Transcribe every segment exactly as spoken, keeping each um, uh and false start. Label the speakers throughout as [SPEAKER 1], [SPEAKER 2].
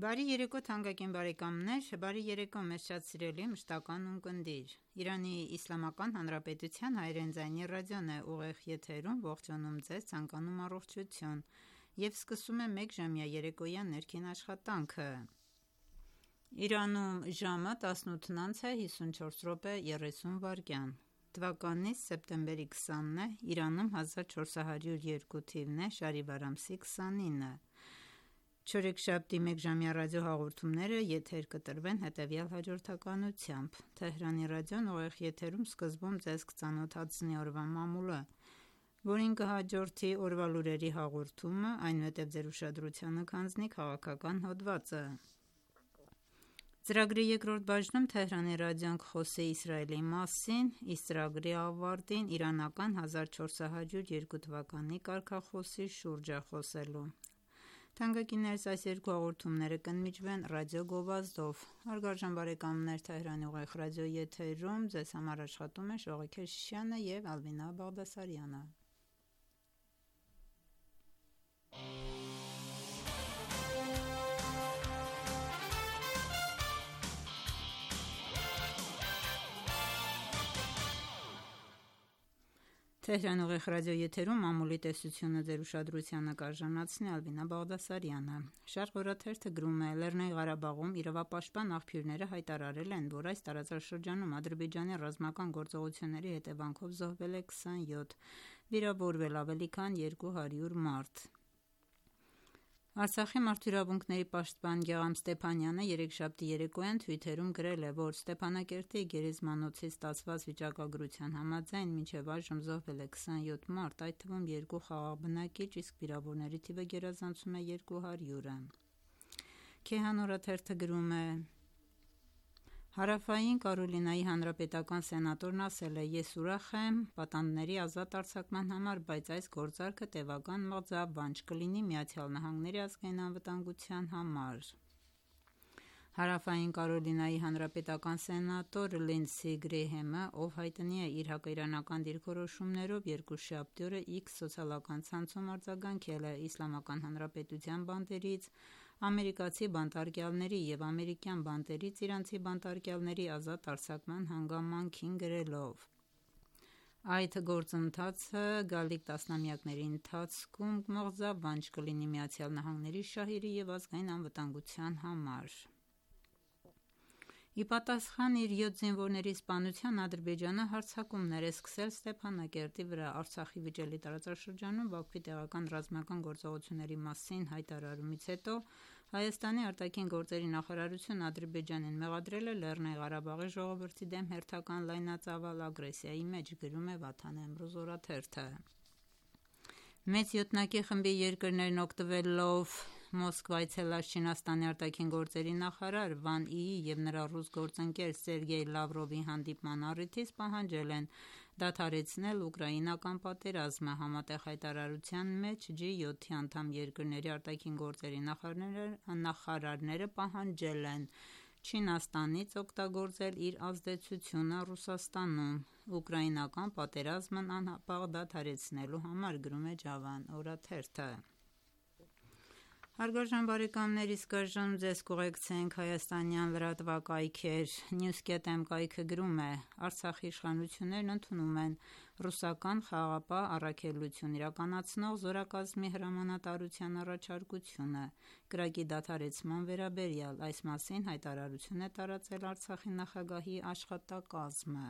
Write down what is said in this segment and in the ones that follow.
[SPEAKER 1] Բարի երեկո թանկագին բարեկամներ, բարի երեկո մեզ շատ սիրելի մշտական ունկնդիր: Իրանի Իսլամական Հանրապետության հայրեն ձայնի ռադիոն է ուղիղ եթերում ողջունում ձեզ, ցանկանում առողջություն և սկսում է մեկժամյա երեկոյան ներքին աշխատանքը: Իրանում ժամը տասնութն անց է հիսունչորս րոպե երեսուն վայրկյան: Թվականի սեպտեմբերի քսանն է, Իրանում հազար չորս հարյուր երկու թիվն է, շարիվար ամսի քսանինը: Չորեքշաբթի մեկժամյա ռադիոհաղորդումները եթեր կտրվեն հետևյալ հաջորդականությամբ: Թեհրանի ռադիոն ուղիղ եթերում սկզբում ձեզ կծանոթացնի օրվա մամուլը, որին կհաջորդի օրվա լուրերի հաղորդումը, այնուհետև ձեր ուշադրությանը կհանձնի քաղաքական հոդվածը: Ծրագրի երկրորդ բաժնում Թեհրանի ռադիոն կխոսի Իսրայելի մասին: Իսկ ծրագրի ավարտին իրանական հազար չորս հարյուր երկու թվականի կարգախոսի շուրջ է խոսելու: Թանկագիններս այս երկու հաղորդումները կընդմիջվեն ռադիո գովազդով: Հարգարժան բարեկամներ Թեհրանի ուղիղ ռադիոյի եթերում ձեզ համար աշխատում են Շողիկ Քեշիշյանը և Ալվինա Բաղդասարյանը: Թեհրանի ուղիղ ռադիոյի եթերում մամուլի տեսությունը ձեր ուշադրությանը կարժանացնի Ալվինա Բաղդասարյանը: Շարқ օրաթերթը գրում է. «Լեռնային Ղարաբաղում իրավապաշտպան աղբյուրները հայտարարել են, որ այս տարածաշրջանում Ադրբեջանի ռազմական գործողությունների հետևանքով զոհվել է քսանյոթ, վիրավորվել ավելի քան երկու հարյուր մարդ»: Արցախի մարդու իրավունքների պաշտպան Գեղամ Ստեփանյանը երեքշաբթի երեկոյան թվիթերում գրել է, որ Ստեփանակերտի գերեզմանոցի ստացված վիճակագրության համաձայն մինչև այժմ զոհվել է քսանյոթ մարդ, այդ թվում երկու խաղաղ բնակիչ, իսկ վիրավորների թիվը գերազանցում է երկու հարյուրը: Քեհան օրաթերթը գրում է. «Հարավային Կարոլինայի հանրապետական սենատորն ասել է. «Ես ուրախ եմ պատանդների ազատ արձակման համար, բայց այս գործարքը տևական մղձավանջ կլինի ԱՄՆ ազգային անվտանգության համար»: Հարավային Կարոլինայի հանրապետական սենատոր Լինդսի Գրեհեմը, ով հայտնի է իր հակաիրանական դիրքորոշումներով, երկուշաբթի օրը X սոցիալական ցանցում արձագանքել է Իսլամական Հանրապետության բանտերից ամերիկացի բանտարկյալների և ամերիկյան բանտերից իրանցի բանտարկյալների ազատ արձակման հանգամանքին, գրելով. «Այդ գործընթացը գալիք տասնամյակների ընթացքում մղձավանջ կլինի ԱՄՆ շահերի և ազգային անվտանգության համար»: Ի պատասխան իր յոթ զինվորների սպանության Ադրբեջանը հարձակումներ է սկսել Ստեփանակերտի վրա: Արցախի վիճելի տարածաշրջանում Բաքվի տեղական ռազմական գործողությունների մասին հայտարարումից հետո Հայաստանի արտաքին գործերի նախարարությունն Ադրբեջանին մեղադրել է Լեռնային Ղարաբաղի ժողովրդի դեմ հերթական լայնածավալ ագրեսիայի մեջ, գրում է Վաթան Էմրոզ օրաթերթը: Մեծ յոթնակի խմբի երկրներն օգտվելով Մոսկվա այցելած Չինաստանի արտաքին գործերի նախարար Վան Յիի և նրա ռուս գործընկեր Սերգեյ Լավրովի հանդիպման առիթից պահանջել են դադարեցնել ուկրաինական պատերազմը: Համատեղ հայտարարության մեջ Ջի յոթի անդամ երկրների արտաքին գործերի նախարարները պահանջել են Չինաստանից օգտագործել իր ազդեցությունը Ռուսաստանում ուկրաինական պատերազմն անհապաղ դադարեցնելու համար, գրում է Ջավան օրաթերթը: Իսկ այժմ ձեզ կուղեկցենք հայաստանյան լրատվակայքեր: Newscat.am կայքը գրում է. «Արցախի իշխանություններն ընդունում են ռուսական խաղաղապահ առաքելություն իրականացնող զորակազմի հրամանատարության առաջարկությունը կրակի դադարեցման վերաբերյալ»: Այս մասին հայտարարություն է տարածել Արցախի նախագահի աշխատակազմը: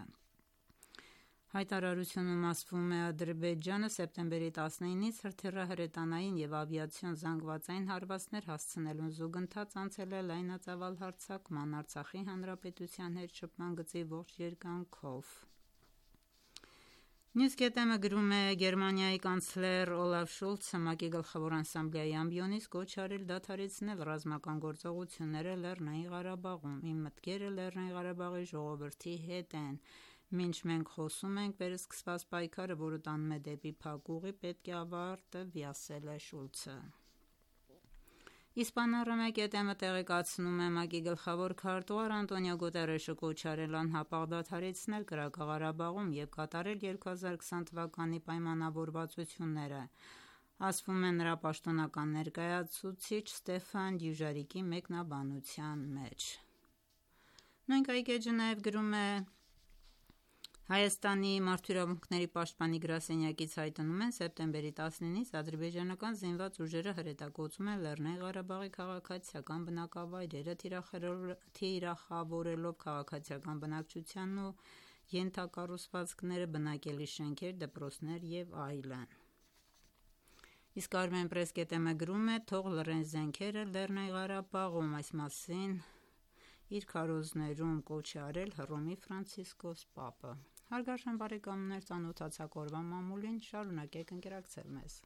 [SPEAKER 1] Հայտարարությունում ասվում է. «Ադրբեջանը սեպտեմբերի տասնինից հրթիռահրետանային և ավիացիոն զանգվածային հարվածներ հասցնելուն զուգընթաց անցել է լայնածավալ հարձակման Արցախի հանրապետության հետ շփման գծի ողջ երկայնքով»: Newscat.am-ը գրում է. «Գերմանիայի կանցլեր Օլաֆ Շոլցը ՄԱԿ-ի Գլխավոր ասամբլեայի ամբիոնից կոչ արել դադարեցնել ռազմական գործողությունները Լեռնային Ղարաբաղում: Իմ մտքերը Լեռնային Ղարաբաղի ժողովրդի հետ են: Մինչ մենք խոսում ենք, վերսկսված պայքարը, որը տանում է դեպի փակ ուղի, պետք է ավարտվի», ասել է Շոլցը: Իսպան.Առ-Մեկետ.Am-ը տեղեկացնում է. ՄԱԿ-ի գլխավոր քարտուղար Անտոնիո Գուտերեշը կոչ արել անհապաղ դադարեցնել կրակը Ղարաբաղում և կատարել երկու հազար քսան թվականի պայմանավորվածությունները: ասվում է նրա պաշտոնական ներկայացուցիչ Ստեֆան Դյուժարիկի մեկնաբանության մեջ։ Նույն կայք էջը նաև գրում է. Հայաստանի մարդու իրավունքների պաշտպանի գրասենյակից հայտնում են սեպտեմբերի տասնինից ադրբեջանական զինված ուժերը հրետակոծում են Լեռնային Ղարաբաղի քաղաքացիական բնակավայրերը, թիրախավորելով քաղաքացիական բնակչությանն ու ենթակառուցվածքները, բնակելի շենքեր, դպրոցներ եւ այլն։ Իսկ Armen Press.am-ը գրում է. թող լռեն զենքերը Լեռնային Ղարաբաղում, այս մասին իր քարոզներում կոչ է արել Հռոմի Ֆրանցիսկոս Պապը։ Հարգարժան բարեկամներ, ծանոթացաք օրվա մամուլին, շարունակեք ընկերակցել մեզ։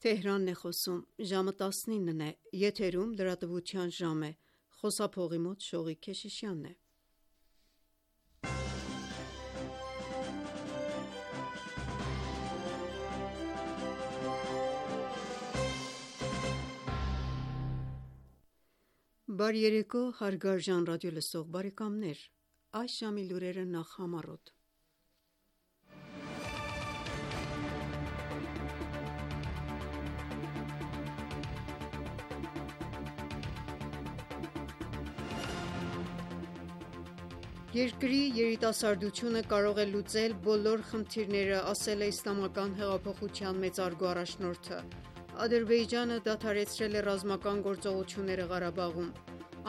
[SPEAKER 2] Թեհրանն է խոսում, ժամը տասնինն է, եթերում լրատվության ժամ է, խոսափողի մոտ Շողիկ Քեշիշյանն է։ Բարի երեկո, հարգարժան ռադիոլսող բարեկամներ, այս ժամի լուրերը նախ համառոտ։ Երկրի երիտասարդությունը կարող է լուծել բոլոր խնդիրները, ասել է Իսլամական հեղափոխության մեծարգո առաջնորդը։ Ադրբեջանը դադարեցրել է ռազմական գործողությունները Ղարաբաղում։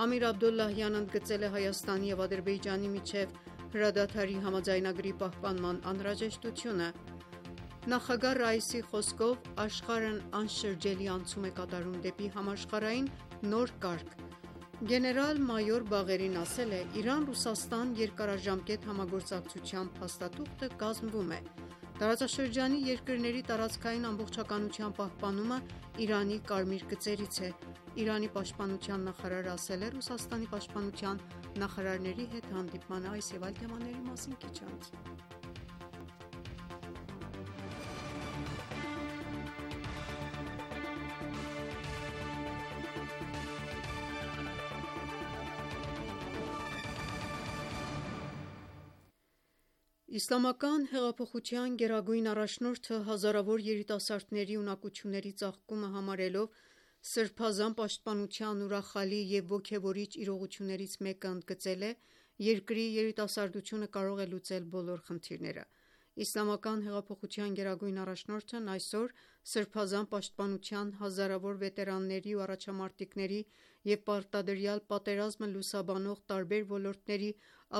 [SPEAKER 2] Ամիր Աբդոլլահյանն ընդգծել է Հայաստանի և Ադրբեջանի միջև հրադադարի համաձայնագրի պահպանման անհրաժեշտությունը։ Նախագահ Ռայիսի խոսքով աշխարհն անշրջելի անցում է կատարում դեպի համաշխարհային նոր կարգ։ Գեներալ-մայոր Բաղերին ասել է. Իրան-Ռուսաստան երկարաժամկետ համագործակցության փաստաթուղթը կազմվում է։ Տարածաշրջանի երկրների տարածքային ամբողջականության պահպանումը Իրանի կարմիր գծերից է։ Իրանի պաշտպանության նախարարը ասել է Ռուսաստանի պաշտպանության նախարարների հետ հանդիպման այս և այլ թեմաների մասին քիչ անց։ Իսլամական հեղափոխության գերագույն առաջնորդը հազարավոր երիտասարդների ունակությունների ծաղկումը համարելով սրբազան պաշտպանության ուրախալի և ոգևորիչ իրողություններից մեկը ընդգծել է. երկրի երիտասարդությունը կարող է լուծել բոլոր խնդիրները։ Իսլամական հեղափոխության գերագույն առաջնորդն այսօր սրբազան պաշտպանության հազարավոր վետերանների ու առաջամարտիկների և պարտադրյալ պատերազմը լուսաբանող տարբեր ոլորտների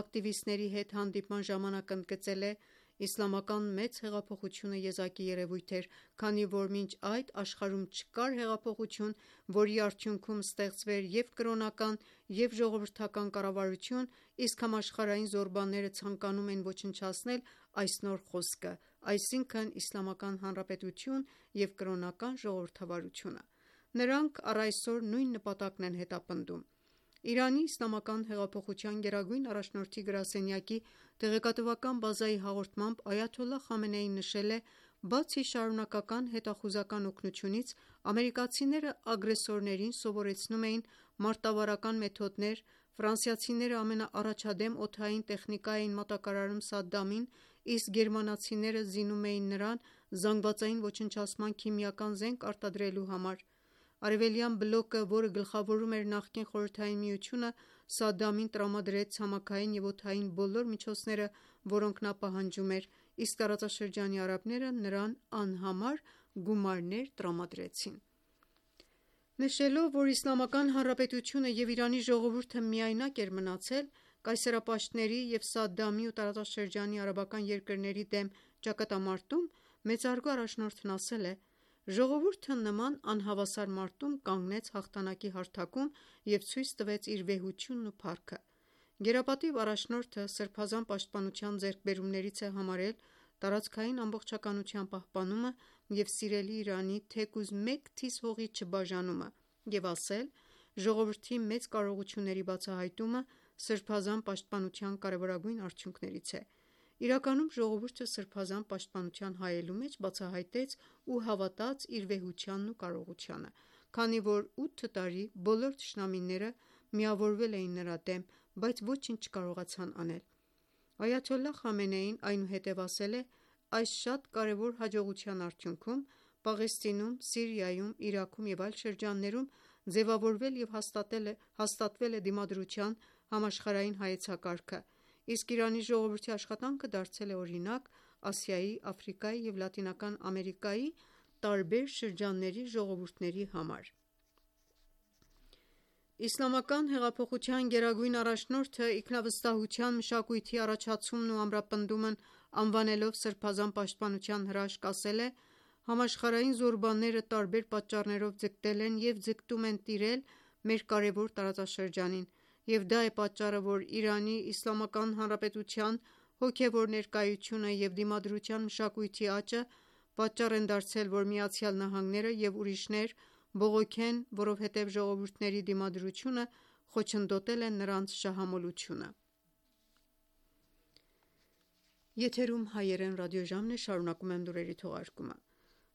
[SPEAKER 2] ակտիվիստների հետ հանդիպման ժամանակ ընդգծել է. Իսլամական մեծ հեղափոխությունը եզակի երևույթ էր, քանի որ մինչ այդ աշխարհում չկար հեղափոխություն, որի արդյունքում ստեղծվեր և կրոնական, և ժողովրդական կառավարություն, իսկ համաշխարհային զորբանները ցանկանում էին ոչնչացնել այս նոր խոսքը, այսինքն Իսլամական Հանրապետություն և կրոնական ժողովրդավարությունը։ Նրանք առ այսօր նույն նպատակն են հետապնդում։ Իրանի Իսլամական հեղափոխության գերագույն առաջնորդի գրասենյակի տեղեկատվական բազայի հաղորդմամբ Այաթոլլահ Խամենեին նշել է. Բացի շարունակական հետախուզական օգնությունից, ամերիկացիները ագրեսորներին սովորեցնում էին մարտավարական մեթոդներ, ֆրանսիացիները ամենաառաջադեմ օդային տեխնիկա էին մատակարարում Սադդամին, իսկ գերմանացիները զինում էին նրան զանգվածային ոչնչացման քիմիական զենք արտադրելու համար։ Արևելյան բլոկը, որը գլխավորում էր նախկին Խորհրդային Միությունը, Սադդամին տրամադրեց ցամաքային և օդային բոլոր միջոցները, որոնք նա պահանջում էր, իսկ տարածաշրջանի արաբները նրան անհամար գումարներ տրամադրեցին։ Նշելով, որ Իսլամական Հանրապետությունը և Իրանի ժողովուրդը միայնակ էր մնացել կայսերապաշտների և Սադդամի ու տարածաշրջանի արաբական երկրների դեմ ճակատամարտում, մեծարգո առաջնորդն ասել է. «Ժողովուրդը նման անհավասար մարտում կանգնեց հաղթանակի հարթակում և ցույց տվեց իր վեհությունն ու փառքը»։ Գերապատիվ առաջնորդը սրբազան պաշտպանության ձեռքբերումներից է համարել տարածքային ամբողջականության պահպանումը և սիրելի Իրանի թեկուզ մեկ թիզ հողի չբաժանումը և ասել. «Ժողովրդի մեծ կարողությունների բացահայտումը սրբազան պաշտպանության կարևորագույն արդյունքներից է»։ Իրականում ժողովուրդը սրբազան պաշտպանության հայելու մեջ բացահայտեց ու հավատաց իր վեհությանն ու կարողությանը։ քանի որ ութ տարի բոլոր թշնամիները միավորվել էին նրա դեմ, բայց ոչինչ չկարողացան անել։ Այաթոլլահ Խամենեին այնուհետև ասել է. «Այս շատ կարևոր հաջողության արդյունքում Պաղեստինում, Սիրիայում, Իրաքում և այլ շրջաններում ձևավորվել և հաստատվել է դիմադրության համաշխարհային հայեցակարգը, իսկ Իրանի ժողովրդի աշխատանքը դարձել է օրինակ Ասիայի, Աֆրիկայի և Լատինական Ամերիկայի տարբեր շրջանների ժողովուրդների համար»։ Իսլամական հեղափոխության գերագույն առաջնորդը ինքնավստահության, մշակույթի առաջացումն ու ամրապնդումն անվանելով Սրբազան պաշտպանության հրաշք, ասել է. «Համաշխարհային զորբանները տարբեր պատճառներով ձգտել են և ձգտում են տիրել մեր կարևոր տարածաշրջանին, և դա է պատճառը, որ Իրանի Իսլամական Հանրապետության հոգևոր ներկայությունը և դիմադրության մշակույթի աճը պատճառ են դարձել, որ ԱՄՆ-ը և ուրիշներ բողոքեն, որովհետև ժողովուրդների դիմադրությունը խոչընդոտել է նրանց շահամոլությունը»։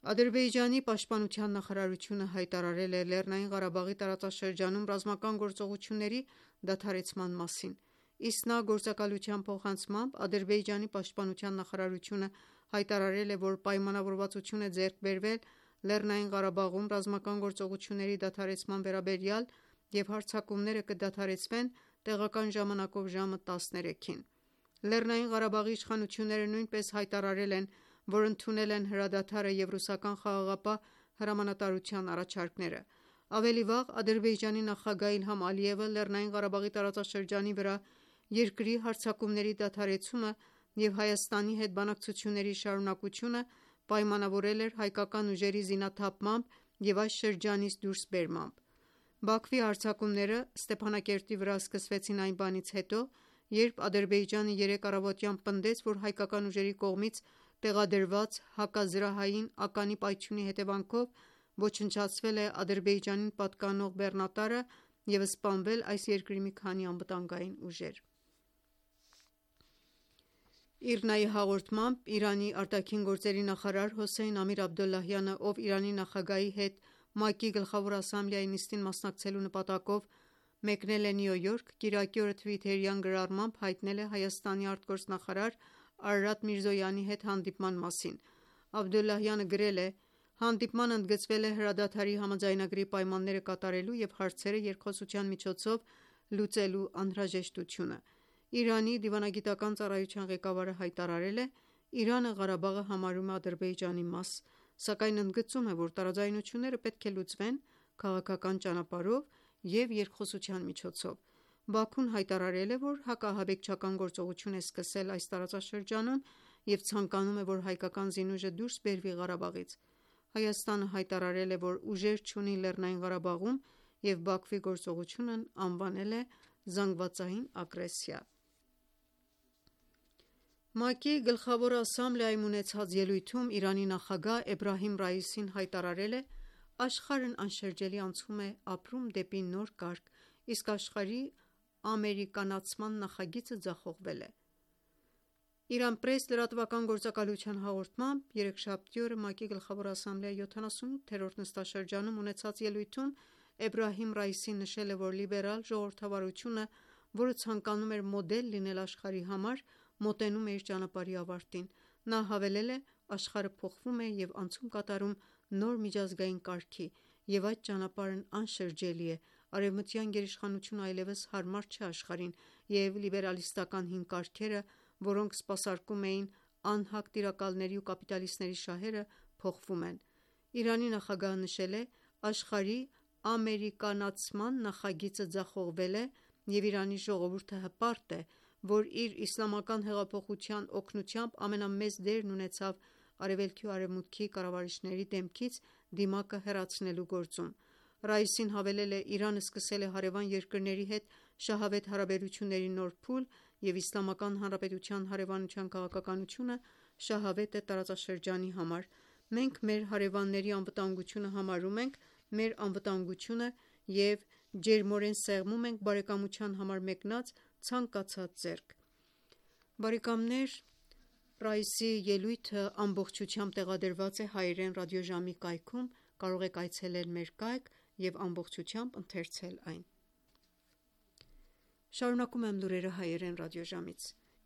[SPEAKER 2] Ադրբեջանի պաշտպանության նախարարությունը հայտարարել է Լեռնային Ղարաբաղի տարածաշրջանում ռազմական գործողությունների դադարեցման մասին։ ԻՍՆԱ գործակալության փոխանցմամբ Ադրբեջանի պաշտպանության նախարարությունը հայտարարել է, որ պայմանավորվածություն է ձեռք բերվել Լեռնային Ղարաբաղում ռազմական գործողությունների դադարեցման վերաբերյալ և հարձակումները կդադարեցվեն տեղական ժամանակով ժամը տասներեքին։ Լեռնային Ղարաբաղի իշխանությունները նույնպես հայտարարել են, որ ընդունել են հրադադարը և ռուսական խաղաղապահ հրամանատարության առաջարկները։ Ավելի վաղ Ադրբեջանի նախագահ Իլհամ Ալիևը Լեռնային Ղարաբաղի տարածաշրջանի վրա երկրի հարձակումների դադարեցումը և Հայաստանի հետ բանակցությունների շարունակությունը պայմանավորել էր հայկական ուժերի զինաթափմամբ և այս շրջանից դուրս բերմամբ։ Բաքվի հարձակումները Ստեփանակերտի վրա սկսվեցին այն բանից հետո, երբ Ադրբեջանը երեկ առավոտյան պնդեց, որ հայկական ուժերի կողմից տեղադրված հակազրահային ականի պայթյունի հետևանքով ոչնչացվել է Ադրբեջանին պատկանող բեռնատարը և սպանվել այս երկրի մի քանի անվտանգային ուժեր։ ԻՌՆԱ-ի հաղորդմամբ Իրանի ԱԳ նախարար Հոսեյն Ամիր-Աբդոլլահյանը, ով Իրանի նախագահի հետ ՄԱԿ-ի Գլխավոր ասամբլեայի նիստին մասնակցելու նպատակով մեկնել է Նյու Յորք, կիրակի օրը թվիթերյան գրառմամբ հայտնել է Հայաստանի արտգործնախարար Արարատ Միրզոյանի հետ հանդիպման մասին։ Աբդոլլահյանը գրել է. «Հանդիպման ընդգծվել է հրադադարի համաձայնագրի պայմանները կատարելու և հարցերը երկխոսության միջոցով լուծելու անհրաժեշտությունը»։ Իրանի դիվանագիտական ծառայության ղեկավարը հայտարարել է. «Իրանը Ղարաբաղը համարում է Ադրբեջանի մաս, սակայն ընդգծում է, որ տարաձայնությունները պետք է լուծվեն քաղաքական ճանապարհով և երկխոսության միջոցով»։ Բաքուն հայտարարել է, որ հակաահաբեկչական գործողություն է սկսել այս տարածաշրջանում և ցանկանում է, որ հայկական զինուժը դուրս բերվի Ղարաբաղից։ Հայաստանը հայտարարել է, որ ուժեր չունի Լեռնային Ղարաբաղում և Բաքվի գործողությունն անվանել է զանգվածային ագրեսիա։ ՄԱԿ-ի Գլխավոր ասամբլեայում ունեցած ելույթում Իրանի նախագահ Էբրահիմ Ռայիսին հայտարարել է. «Աշխարհն անշրջելի անցում է ապրում դեպի նոր կարգ, իսկ աշխարհի ամերիկանացման նախագիծը ձախողվել է»։ «Իրանպրես» լրատվական գործակալության հաղորդմամբ երեքշաբթի օրը ՄԱԿ-ի Գլխավոր ասամբլեայի յոթանասունութերորդ նստաշրջանում ունեցած ելույթում Էբրահիմ Ռայիսին նշել է, որ լիբերալ ժողովրդավարությունը, որը ցանկանում էր մոդել լինել աշխարհի համար, մոտենում է իր ճանապարհի ավարտին։ Նա հավելել է. «Աշխարհը փոխվում է և անցում կատարում նոր միջազգային կարգի, և այդ ճանապարհն անշրջելի է։ Արևմտյան գերիշխանությունը այլևս հարմար չէ աշխարհին, և լիբերալիստական հին կարգերը, որոնք սպասարկում էին անհակ տիրակալների ու կապիտալիստների շահերը, փոխվում են»։ Իրանի նախագահը նշել է. «Աշխարհի ամերիկանացման նախագիծը ձախողվել է, և Իրանի ժողովուրդը հպարտ է, որ իր իսլամական հեղափոխության օգնությամբ ամենամեծ դերն ունեցավ Արևելքի ու Արևմուտքի կառավարիչների դեմքից դիմակը հեռացնելու գործում»։ Ռայիսին հավելել է. «Իրանը սկսել է հարևան երկրների հետ շահավետ հարաբերությունների նոր փուլ, և Իսլամական Հանրապետության հարևանության քաղաքականությունը շահավետ է տարածաշրջանի համար։ Մենք մեր հարևանների անվտանգությունը համարում ենք մեր անվտանգությունը և ջերմորեն սեղմում ենք բարեկամության համար մեկնած ցանկացած ձեռք»։ Ռայիսի ելույթը ամբողջությամբ տեղադրված է հայերեն ռադիոժամի կայքում։ Կարող եք այցելել մեր կայք և ամբողջությամբ ընթերցել այն: Շարունակում եմ լուրերը հայերեն ռադիոժամից: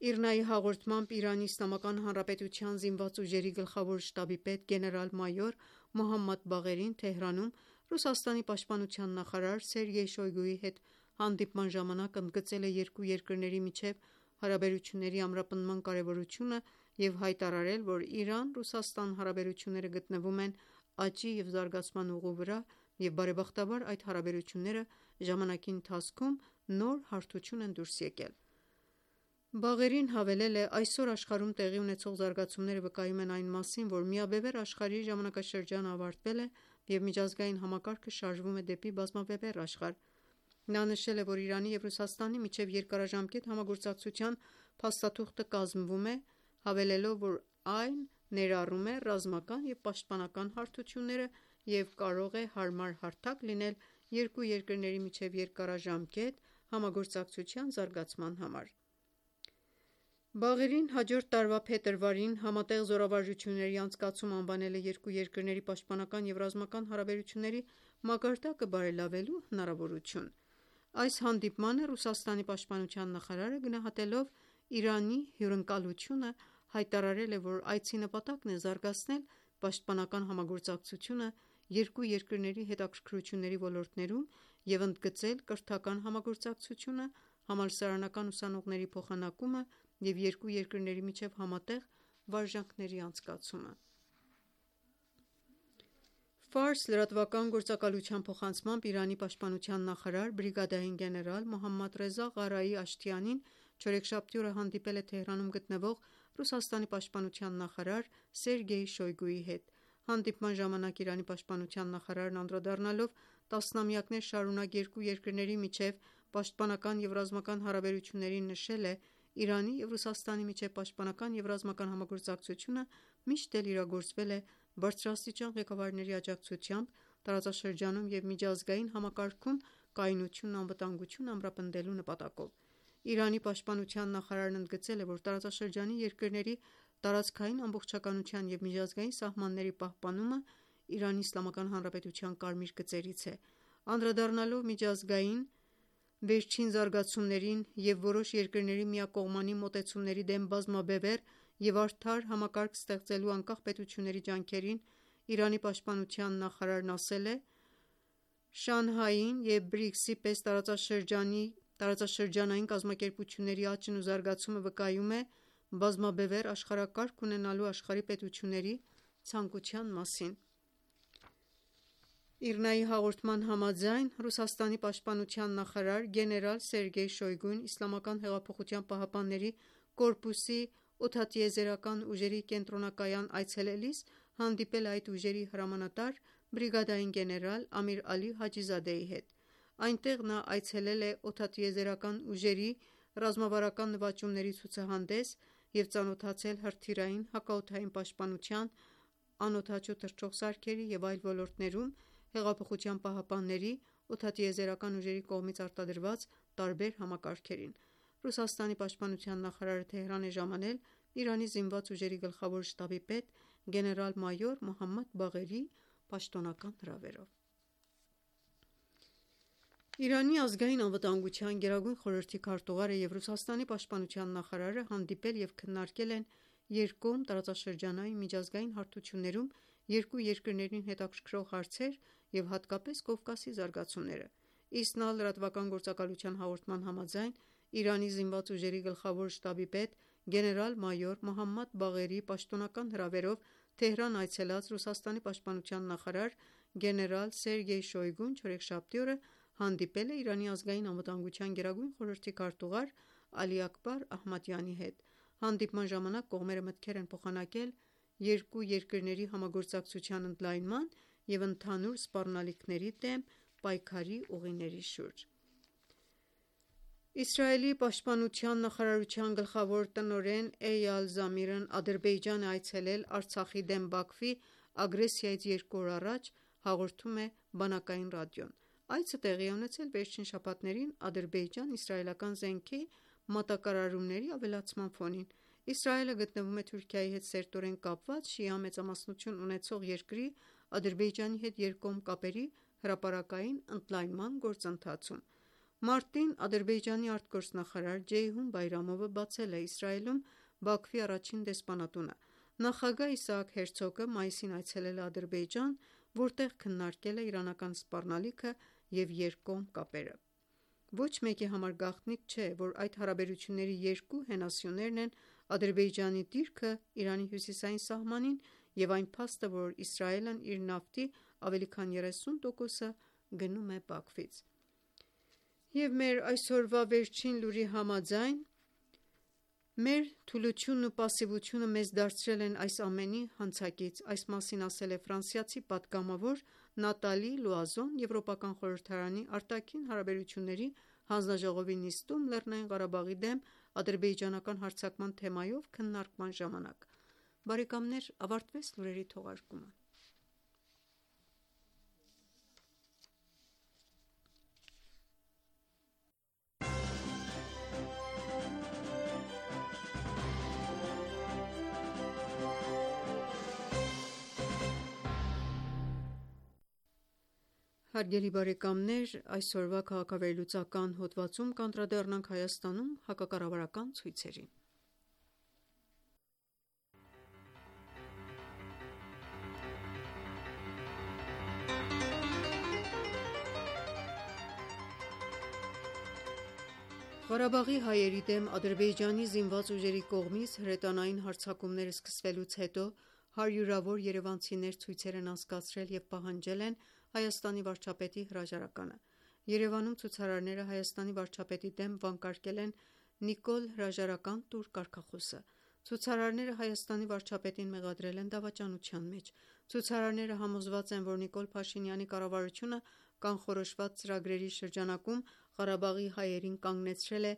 [SPEAKER 2] ԻՌՆԱ-ի հաղորդմամբ Իրանի Իսլամական Հանրապետության զինված ուժերի գլխավոր շտաբի պետ գեներալ-մայոր Մոհամմադ Բաղերին Թեհրանում Ռուսաստանի պաշտպանության նախարար Սերգեյ Շոյգուի հետ հանդիպման ժամանակ ընդգծել է երկու երկրների միջև հարաբերությունների ամրապնդման կարևորությունը և հայտարարել, որ Իրան-Ռուսաստան հարաբերությունները գտնվում են աճի և զարգացման ուղու վրա և բարեբախտաբար այդ հարաբերությունները ժամանակի ընթացքում նոր հարթություն են դուրս եկել: Բաղերին հավելել է. «Այսօր աշխարհում տեղի ունեցող զարգացումները վկայում են այն մասին, որ միաբևեռ աշխարհի ժամանակաշրջանը ավարտվել է և միջազգային համակարգը շարժվում է դեպի բազմաբևեռ աշխարհ»: Նա նշել է, որ Իրանի և Ռուսաստանի միջև երկարաժամկետ համագործակցության փաստաթուղթը կազմվում է, հավելելով, որ այն ներառում է ռազմական և պաշտպանական հարթությունները և կարող է հարմար հարթակ լինել երկու երկրների միջև երկարաժամկետ համագործակցության զարգացման համար: Բաղերին հաջորդ տարվա փետրվարին «Համատեղ զորավարժությունների անցկացում» անվանել է երկու երկրների պաշտպանական և ռազմական հարաբերությունների մակարդակը բարելավելու հնարավորություն: Այս հանդիպմանը Ռուսաստանի պաշտպանության նախարարը գնահատելով Իրանի հյուրընկալությունը հայտարարել է, որ այցի նպատակն է զարգացնել պաշտպանական համագործակցությունը երկու երկրների հետաքրքրությունների ոլորտներում և ընդգծել կրթական համագործակցությունը, համալսարանական ուսանողների փոխանակումը և երկու երկրների միջև համատեղ վարժանքների անցկացումը: Ֆարս լրատվական գործակալության փոխանցմամբ Իրանի պաշտպանության նախարար բրիգադային գեներալ Մոհամմադ Ռեզա Ղարայի Աշթիանին չորեքշաբթի օրը հանդիպել է Թեհրանում գտնվող Ռուսաստանի պաշտպանության նախարար Սերգեյ Շոյգուի հետ: Հանդիպման ժամանակ Իրանի պաշտպանության նախարարն անդրադառնալով տասնամյակներ շարունակ երկու երկրների միջև պաշտպանական և ռազմական հարաբերություններին նշել է. «Իրանի և Ռուսաստանի միջև պաշտպանական և ռազմական համագործակցությունը միշտ էլ իրագործվել է բարձրաստիճան ղեկավարների աջակցությամբ տարածաշրջանում և միջազգային համակարգում կայունությունն ու անվտանգությունն ամրապնդելու նպատակով»: Իրանի պաշտպանության նախարարն ընդգծել է, որ տարածաշրջանի երկրների տարածքային ամբողջականության և միջազգային սահմանների պահպանումը ԻԻՀ կարմիր գծերից է: Անդրադառնալով միջազգային վերջին զարգացումներին և որոշ երկրների միակողմանի մոտեցումների դեմ բազմաբևեռ և արդար համակարգ ստեղծելու անկախ պետությունների ջանքերին, Իրանի պաշտպանության նախարարն ասել է. «Շանհային և ＢՐԻԿՍ-ի պես տարածաշրջանային կազմակերպությունների աճն ու զարգացումը վկայում է բազմաբևեռ աշխարհակարգ ունենալու աշխարհի պետությունների ցանկության մասին»: ԻՌՆԱ-ի հաղորդման համաձայն Ռուսաստանի պաշտպանության նախարար գեներալ Սերգեյ Շոյգուն ԻՀՊԿ-ի օդատիեզերական ուժերի կենտրոնակայան այցելելիս հանդիպել է այդ ուժերի հրամանատար բրիգադային գեներալ Ամիր Ալի Հաջիզադեի հետ: Այնտեղ նա այցելել է օդատիեզերական ուժերի ռազմավարական նվաճումների ցուցահանդես և ծանոթացել հրթիռային, հակաօդային պաշտպանության, անօդաչու թռչող սարքերի և այլ ոլորտներում ԻՀՊԿ-ի օդատիեզերական ուժերի կողմից արտադրված տարբեր համակարգերին: Ռուսաստանի պաշտպանության նախարարը Թեհրան է ժամանել Իրանի զինված ուժերի գլխավոր շտաբի պետ գեներալ-մայոր Մոհամմադ Բաղերի պաշտոնական հրավերով: Իրանի ազգային անվտանգության գերագույն խորհրդի քարտուղարը և Ռուսաստանի պաշտպանության նախարարը հանդիպել և քննարկել են երկկողմ, տարածաշրջանային ու միջազգային հարթություններում երկու երկրներին հետաքրքրող հարցեր և հատկապես Կովկասի զարգացումները: ԻՍՆԱ լրատվական գործակալության հաղորդման համաձայն Իրանի զինված ուժերի գլխավոր շտաբի պետ գեներալ-մայոր Մոհամմադ Բաղերի պաշտոնական հրավերով Թեհրան այցելած Ռուսաստանի պաշտպանության նախարար գեներալ Սերգեյ Շոյգուն չորեքշաբթի օրը հանդիպել է Իրանի ազգային անվտանգության գերագույն խորհրդի քարտուղար Ալի Աքբար Ահմադյանի հետ: Հանդիպման ժամանակ կողմերը մտքեր են փոխանակել երկու երկրների համագործակցության ընդլայնման և ընդհանուր սպառնալիքների դեմ պայքարի ուղիների շուրջ: Իսրայելի պաշտպանության նախարարության գլխավոր տնօրեն Էյալ Զամիրն Ադրբեջան է այցելել Արցախի դեմ Բաքվի ագրեսիայից երկու օր առաջ, հաղորդում է բանակային ռադիոն: Այցը տեղի է ունեցել վերջին շաբաթներին ադրբեջան-իսրայելական զենքի մատակարարումների ավելացման ֆոնին: Իսրայելը գտնվում է Թուրքիայի հետ սերտորեն կապված շիա մեծամասնություն ունեցող երկրի Ադրբեջանի հետ երկկողմ կապերի հրապարակային ընդլայնման գործընթացում։ Մարտին Ադրբեջանի արտգործնախարար Ջեյհուն Բայրամովը բացել է Իսրայելում Բաքվի առաջին դեսպանատունը։ Նախագահ Իսահակ Հերցոգը մայիսին այցելել է Ադրբեջան, որտեղ քննարկել է իրանական սպառնալիքը և երկկողմ կապերը։ Ոչ մեկի համար գաղտնիք չէ, որ այդ հարաբերությունների երկու հենասյուներն են Ադրբեջանի դիրքը Իրանի հյուսիսային սահմանին և այն փաստը, որ Իսրայելն իր նավթի ավելի քան երեսուն տոկոսը գնում է Բաքվից։ Եվ մեր այսօրվա վերջին լուրի համաձայն, մեր թուլությունն ու պասիվությունը մեզ դարձրել են այս ամենի հանցակից։ Այս մասին ասել է ֆրանսիացի պատգամավոր Նատալի Լուազոն Եվրոպական խորհրդարանի արտաքին հարաբերությունների հանձնաժողովի նիստում Լեռնային Ղարաբաղի դեմ ադրբեջանական հարձակման թեմայով քննարկման ժամանակ։ Բարեկամներ, ավարտվեց լուրերի թողարկումը։ Հարգելի բարեկամներ, այսօրվա քաղաքավերլուծական հոդվածում կանդրադառնանք Հայաստանում հակակառավարական ցույցերին։ Ղարաբաղի հայերի դեմ Ադրբեջանի զինված ուժերի կողմից հրետանային հարձակումները սկսվելուց հետո հարյուրավոր երևանցիներ ցույցեր են անցկացրել և պահանջել են Հայաստանի վարչապետի հրաժարականը։ Երևանում ցուցարարները Հայաստանի վարչապետի դեմ վանկարկել են «Նիկոլ հրաժարական տուր» կարգախոսը։ Ցուցարարները Հայաստանի վարչապետին մեղադրել են դավաճանության մեջ։ Ցուցարարները համոզված են, որ Նիկոլ Փաշինյանի կառավարությունը կանխորոշված ծրագրերի շրջանակում Ղարաբաղի հայերին կանգնեցրել է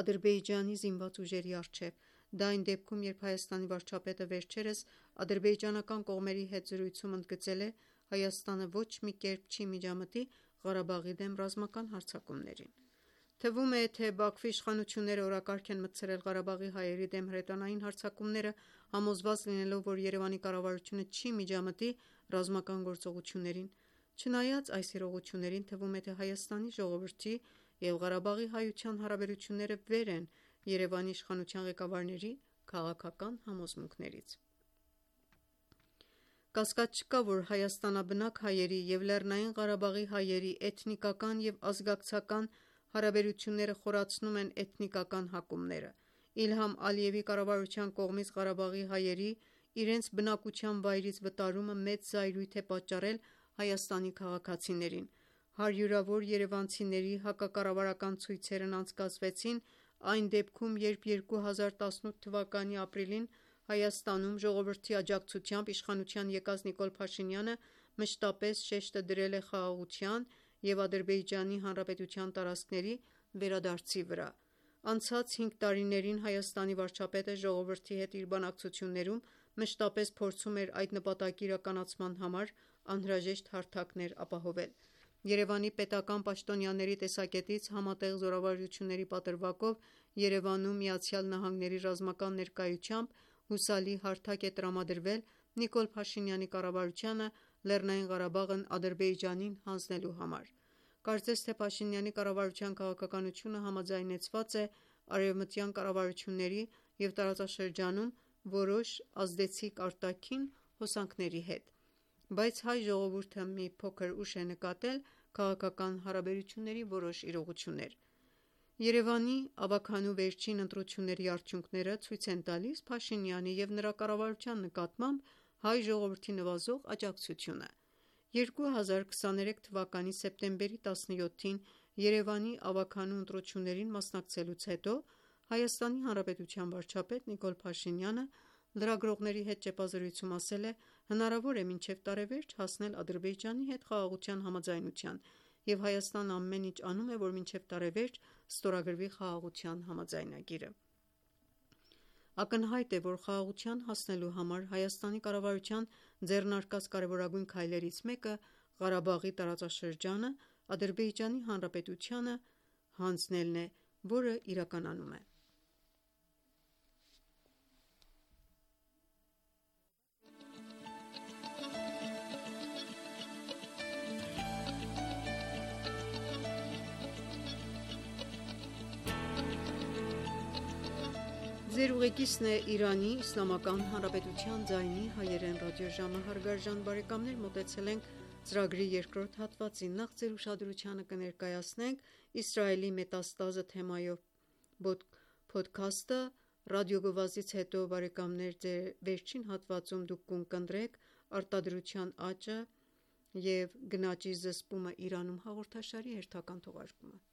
[SPEAKER 2] Ադրբեջանի զինված ուժերի առջև։ Դա այն դեպքում, երբ Հայաստանի վարչապետը վերջերս ադրբեջանական կողմերի հետ զրույցում ընդգծել է Հայաստանը ոչ մի կերպ չի միջամտի Ղարաբաղի դեմ ռազմական հարձակումներին։ Թվում է, թե Բաքվի իշխանությունները օրակարգ են մտցրել Ղարաբաղի հայերի դեմ հրետանային հարձակումները, համոզված լինելով, որ Երևանի կառավարությունը չի միջամտի ռազմական գործողություններին։ Չնայած այս իրողություններին, թվում է, թե Հայաստանի ժողովրդի և Ղարաբաղի հայության հարաբերությունները վեր են Երևանի իշխանության ղեկավարների քաղաքական համոզմունքներից։ Կասկած չկա, որ հայաստանաբնակ հայերի և Լեռնային Ղարաբաղի հայերի էթնիկական և ազգակցական հարաբերությունները խորացնում են էթնիկական հակումները։ Իլհամ Ալիևի կառավարության կողմից Ղարաբաղի հայերի իրենց բնակության վայրից վտարումը մեծ զայրույթ է պատճառել Հայաստանի քաղաքացիներին։ Հարյուրավոր երևանցիների հակակառավարական ցույցերն անցկացվեցին այն դեպքում, երբ երկու հազար տասնութ թվականի ապրիլին Հայաստանում ժողովրդի աջակցությամբ իշխանության եկած Նիկոլ Փաշինյանը մշտապես շեշտը դրել է խաղաղության և Ադրբեջանի Հանրապետության տարածքների վերադարձի վրա։ Անցած հինգ տարիներին Հայաստանի վարչապետը ժողովրդի հետ իր բանակցություններում մշտապես փորձում էր այդ նպատակի իրականացման համար անհրաժեշտ հարթակներ ապահովել։ Երևանի պետական պաշտոնյաների տեսակետից համատեղ զորավարժությունների պատրվակով Երևանում Միացյալ Նահանգների ռազմական ներկայությամբ հուսալի հարթակ է տրամադրվել Նիկոլ Փաշինյանի կառավարությանը Լեռնային Ղարաբաղն Ադրբեջանին հանձնելու համար։ Կարծես թե Փաշինյանի կառավարության քաղաքականությունը համաձայնեցված է արևմտյան կառավարությունների և տարածաշրջանում որոշ ազդեցիկ արտաքին հոսանքների հետ։ Բայց հայ ժողովուրդը մի փոքր ուշ է նկատել քաղաքական հարաբերությունների որոշ իրողություններ։ Երևանի ավագանու վերջին ընտրությունների արդյունքները ցույց են տալիս Փաշինյանի և նրա կառավարության նկատմամբ հայ ժողովրդի նվազող աջակցությունը։ երկու հազար քսաներեք թվականի սեպտեմբերի տասնյոթին Երևանի ավագանու ընտրություններին մասնակցելուց հետո Հայաստանի Հանրապետության վարչապետ Նիկոլ Փաշինյանը լրագրողների հետ ճեպազրույցում ասել է. «Հնարավոր է մինչև տարեվերջ հասնել Ադրբեջանի հետ խաղաղության համաձայնության, և Հայաստանը ամեն ինչ անում է, որ մինչև տարեվերջ ստորագրվի խաղաղության համաձայնագիրը»։ Ակնհայտ է, որ խաղաղության հասնելու համար Հայաստանի կառավարության ձեռնարկած կարևորագույն քայլերից մեկը Ղարաբաղի տարածաշրջանը Ադրբեջանի Հանրապետությանը հանձնելն է, որը իրականանում է։ Ձեր ուղեկիցն է Իրանի Իսլամական Հանրապետության ձայնի հայերեն ռադիոժամը, հարգարժան բարեկամներ, մոտեցել ենք ծրագրի երկրորդ հատվածին։ Նախ ձեր ուշադրությանը կներկայացնենք Իսրայելի մետաստազը թեմայով փոդքասթը, ռադիոգովազդից հետո բարեկամներ ձեր վերջին հատվածում դուք կընկերեք արտադրության աճը և գնաճի զսպումը Իրանում հաղորդաշարի հերթական թողարկումը։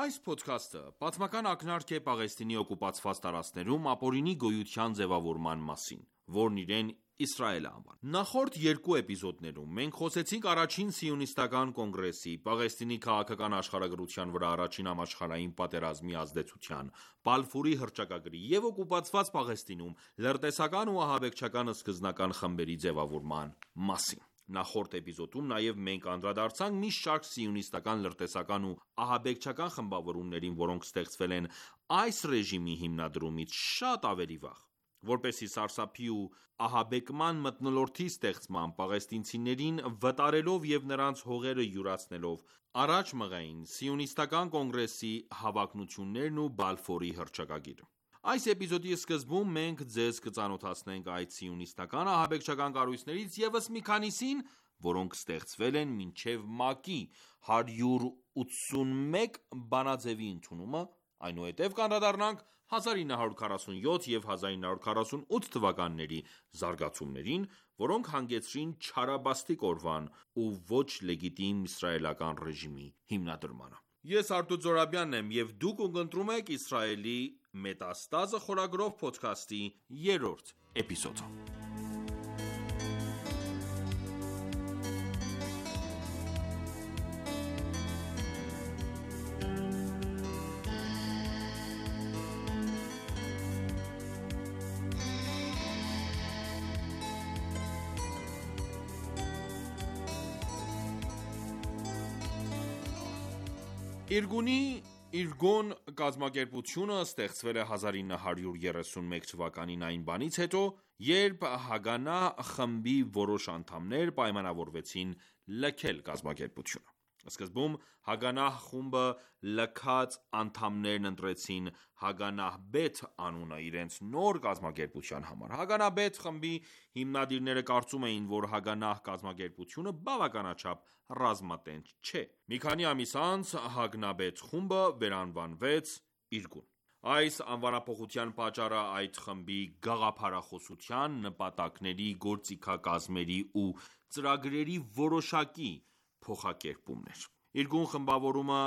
[SPEAKER 3] Այս փոդքասթը պատմական ակնարկ է Պաղեստինի օկուպացված տարածքներում ապօրինի գոյության ձևավորման մասին, որն իրեն Իսրայել է անվանում։ Նախորդ երկու էպիզոդներում մենք խոսեցինք առաջին սիոնիստական կոնգրեսի, Պաղեստինի քաղաքական աշխարհագրության վրա առաջին համաշխարհային պատերազմի ազդեցության, Բալֆուրի հռչակագրի և օկուպացված Պաղեստինում լրտեսական ու ահաբեկչական սկզբնական խմբերի ձևավորման մասին։ Նախորդ էպիզոդում նաև մենք անդրադարձանք մի շարք սիոնիստական լրտեսական ու ահաբեկչական խմբավորումներին, որոնք ստեղծվել են այս ռեժիմի հիմնադրումից շատ ավելի վաղ, որպեսզի սարսափի ու ահաբեկման մթնոլորտի ստեղծմամբ պաղեստինցիներին վտարելով և նրանց հողերը յուրացնելով առաջ մղեին Սիոնիստական կոնգրեսի հավակնություններն ու Բալֆորի հռչակագիրը։ Այս էպիզոդի սկզբում մենք ձեզ կծանոթացնենք այդ սիոնիստական ահաբեկչական կառույցներից ևս մի քանիսին, որոնք ստեղծվել են մինչև ՄԱԿ-ի հարյուր ութսունմեկ բանաձևի ընդունումը, այնուհետև կանդրադառնանք հազար ինը հարյուր քառասունյոթ և հազար ինը հարյուր քառասունութ թվականների զարգացումներին, որոնք հանգեցրին Չարաբաստիկ օրվան ու ոչ լեգիտիմ իսրայելական ռեժիմի հիմնադրմանը։ Ես Արտուր Զոհրաբյանն եմ և դուք ունկնդրում եք Իսրայելի մետաստազը խորագրով փոդքասթի երրորդ էպիզոդը։ Իրգունի Իրգոն կազմակերպությունը ստեղծվել է հազար ինը հարյուր երեսունմեկ թվականին այն բանից հետո, երբ Հագանա խմբի որոշ անդամներ պայմանավորվեցին լքել կազմակերպությունը։ Սկզբում Հագանահ խումբը լքած անդամներն ընտրեցին Հագանահ Բեթ անունը իրենց նոր կազմակերպության համար։ Հագանահ Բեթ խմբի հիմնադիրները կարծում էին, որ Հագանահ կազմակերպությունը բավականաչափ ռազմատենչ չէ։ Մի քանի ամիս անց Հագանահ Բեթ խումբը վերանվանվեց Իրգուն։ Այս անվանափոխության պատճառը այդ խմբի գաղափարախոսության, նպատակների, գործիքակազմերի ու ծրագրերի որոշակի փոխակերպումն էր։ Իրգուն խմբավորումը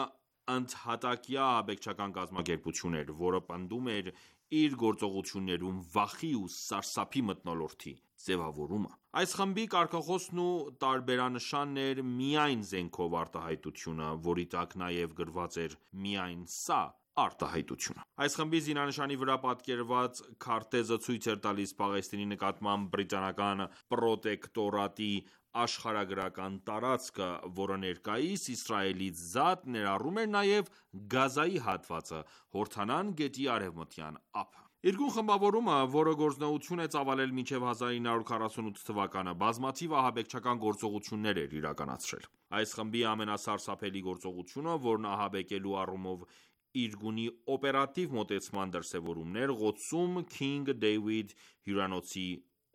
[SPEAKER 3] ընդհատակյա ահաբեկչական կազմակերպություն էր, որը պնդում էր իր գործողություններում վախի ու սարսափի մթնոլորտի ձևավորումը։ Այս խմբի կարգախոսն ու տարբերանշանն էր միայն զենքով արտահայտությունը, որի տակ նաև գրված էր միայն սա արտահայտությունը։ Այս խմբի զինանշանի վրա պատկերված քարտեզը ցույց էր տալիս Պաղեստինի նկատմամբ բրիտանական պրոտեկտորատի աշխարհագրական տարածքը, որը ներկայիս Իսրայելից զատ ներառում էր նաև Գազայի հատվածը, Հորդանան գետի արևմտյան ափը։ Իրգուն խմբավորումը, որը գործունեություն է ծավալել մինչև հազար ինը հարյուր քառասունութ թվականը, բազմաթիվ ահաբեկչական գործողություններ էր իրականացրել։ Այս խմբի ամենասարսափելի գործողությունը, որն ահաբեկելու առումով Իրգունի օպերատիվ մոտեցման դրսևորումն էր, Ղոդսում Քինգ Դեյվիդ հյուրանոցի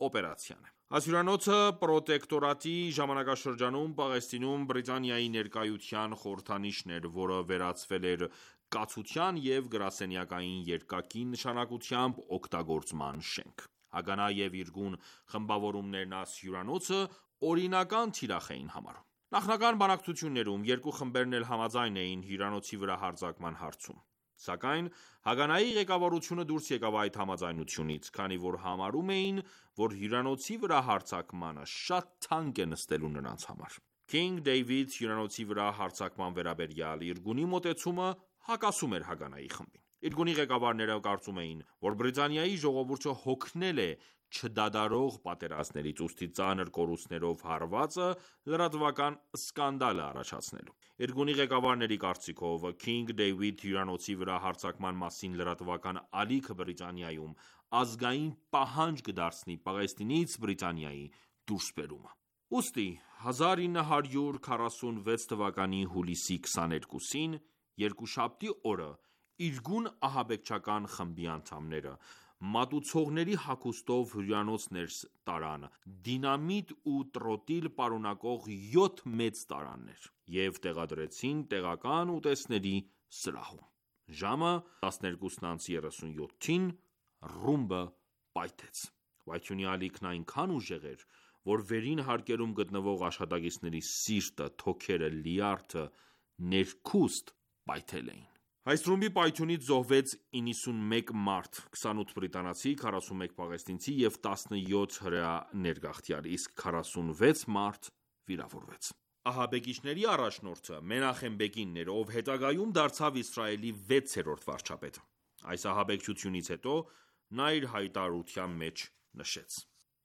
[SPEAKER 3] օպերացիան է։ Այս հյուրանոցը պրոտեկտորատի ժամանակաշրջանում Պաղեստինում Բրիտանիայի ներկայության խորհրդանիշն էր, որը վերածվել էր կացության և գրասենյակային երկակի նշանակությամբ օգտագործման շենք։ Հագանա և Իրգուն խմբավորումներն այս հյուրանոցը օրինական թիրախ էին համարում։ Նախնական բանակցություններում երկու խմբերն էլ համաձայն էին հյուրանոցի վրա հարձակման հարցում։ Սակայն Հագանայի ղեկավարությունը դուրս եկավ այդ համաձայնությունից, քանի որ համարում էին, որ հյուրանոցի վրա հարձակմանը շատ թանկ է նստելու նրանց համար։ Քինգ Դեյվիդ հյուրանոցի վրա հարձակման վերաբերյալ Իրգունի մոտեցումը հակասում էր Հագանայի խմբին։ Իրգունի ղեկավարները կարծում էին, որ Բրիտանիայի ժողովուրդը հոգնել է չդադարող պատերազմներից, ուստի ծանր կորուստներով հարվածը լրատվական սկանդալ է առաջացնելու։ Իրգունի ղեկավարների կարծիքով Քինգ Դեյվիդ հյուրանոցի վրա հարձակման մասին լրատվական ալիքը Բրիտանիայում ազգային պահանջ կդարձնի Պաղեստինից Բրիտանիայի դուրսբերումը։ Ուստի հազար ինը հարյուր քառասունվեց թվականի հուլիսի քսաներկուսին, երկուշաբթի օրը Իրգուն ահաբեկչական խմբի անդամները մատուցողների հագուստով հյուրանոց ներս տարան դինամիտ ու տրոտիլ պարունակող յոթ մեծ տարաներ և տեղադրեցին տեղական ուտեստների սրահում: Ժամը տասներկուսն անց երեսունյոթին ռումբը պայթեց: Պայթյունի ալիքն այնքան ուժեղ էր, որ վերին հարկերում գտնվող աշխատակիցների սիրտը, թոքերը, լյարդը ներքուստ պայթել էին: Այս ռումբի պայթյունից զոհվեց իննսունմեկ մարդ, քսանութ բրիտանացի, քառասունմեկ պաղեստինցի և տասնյոթ հրեա ներգաղթյալ, իսկ քառասունվեց մարդ վիրավորվեց: Ահաբեկիչների առաջնորդը Մենախեմ Բեգինն էր, ով հետագայում դարձավ Իսրայելի վեցերորդ վարչապետը: Այս ահաբեկչությունից հետո նա իր հայտարարության մեջ նշեց.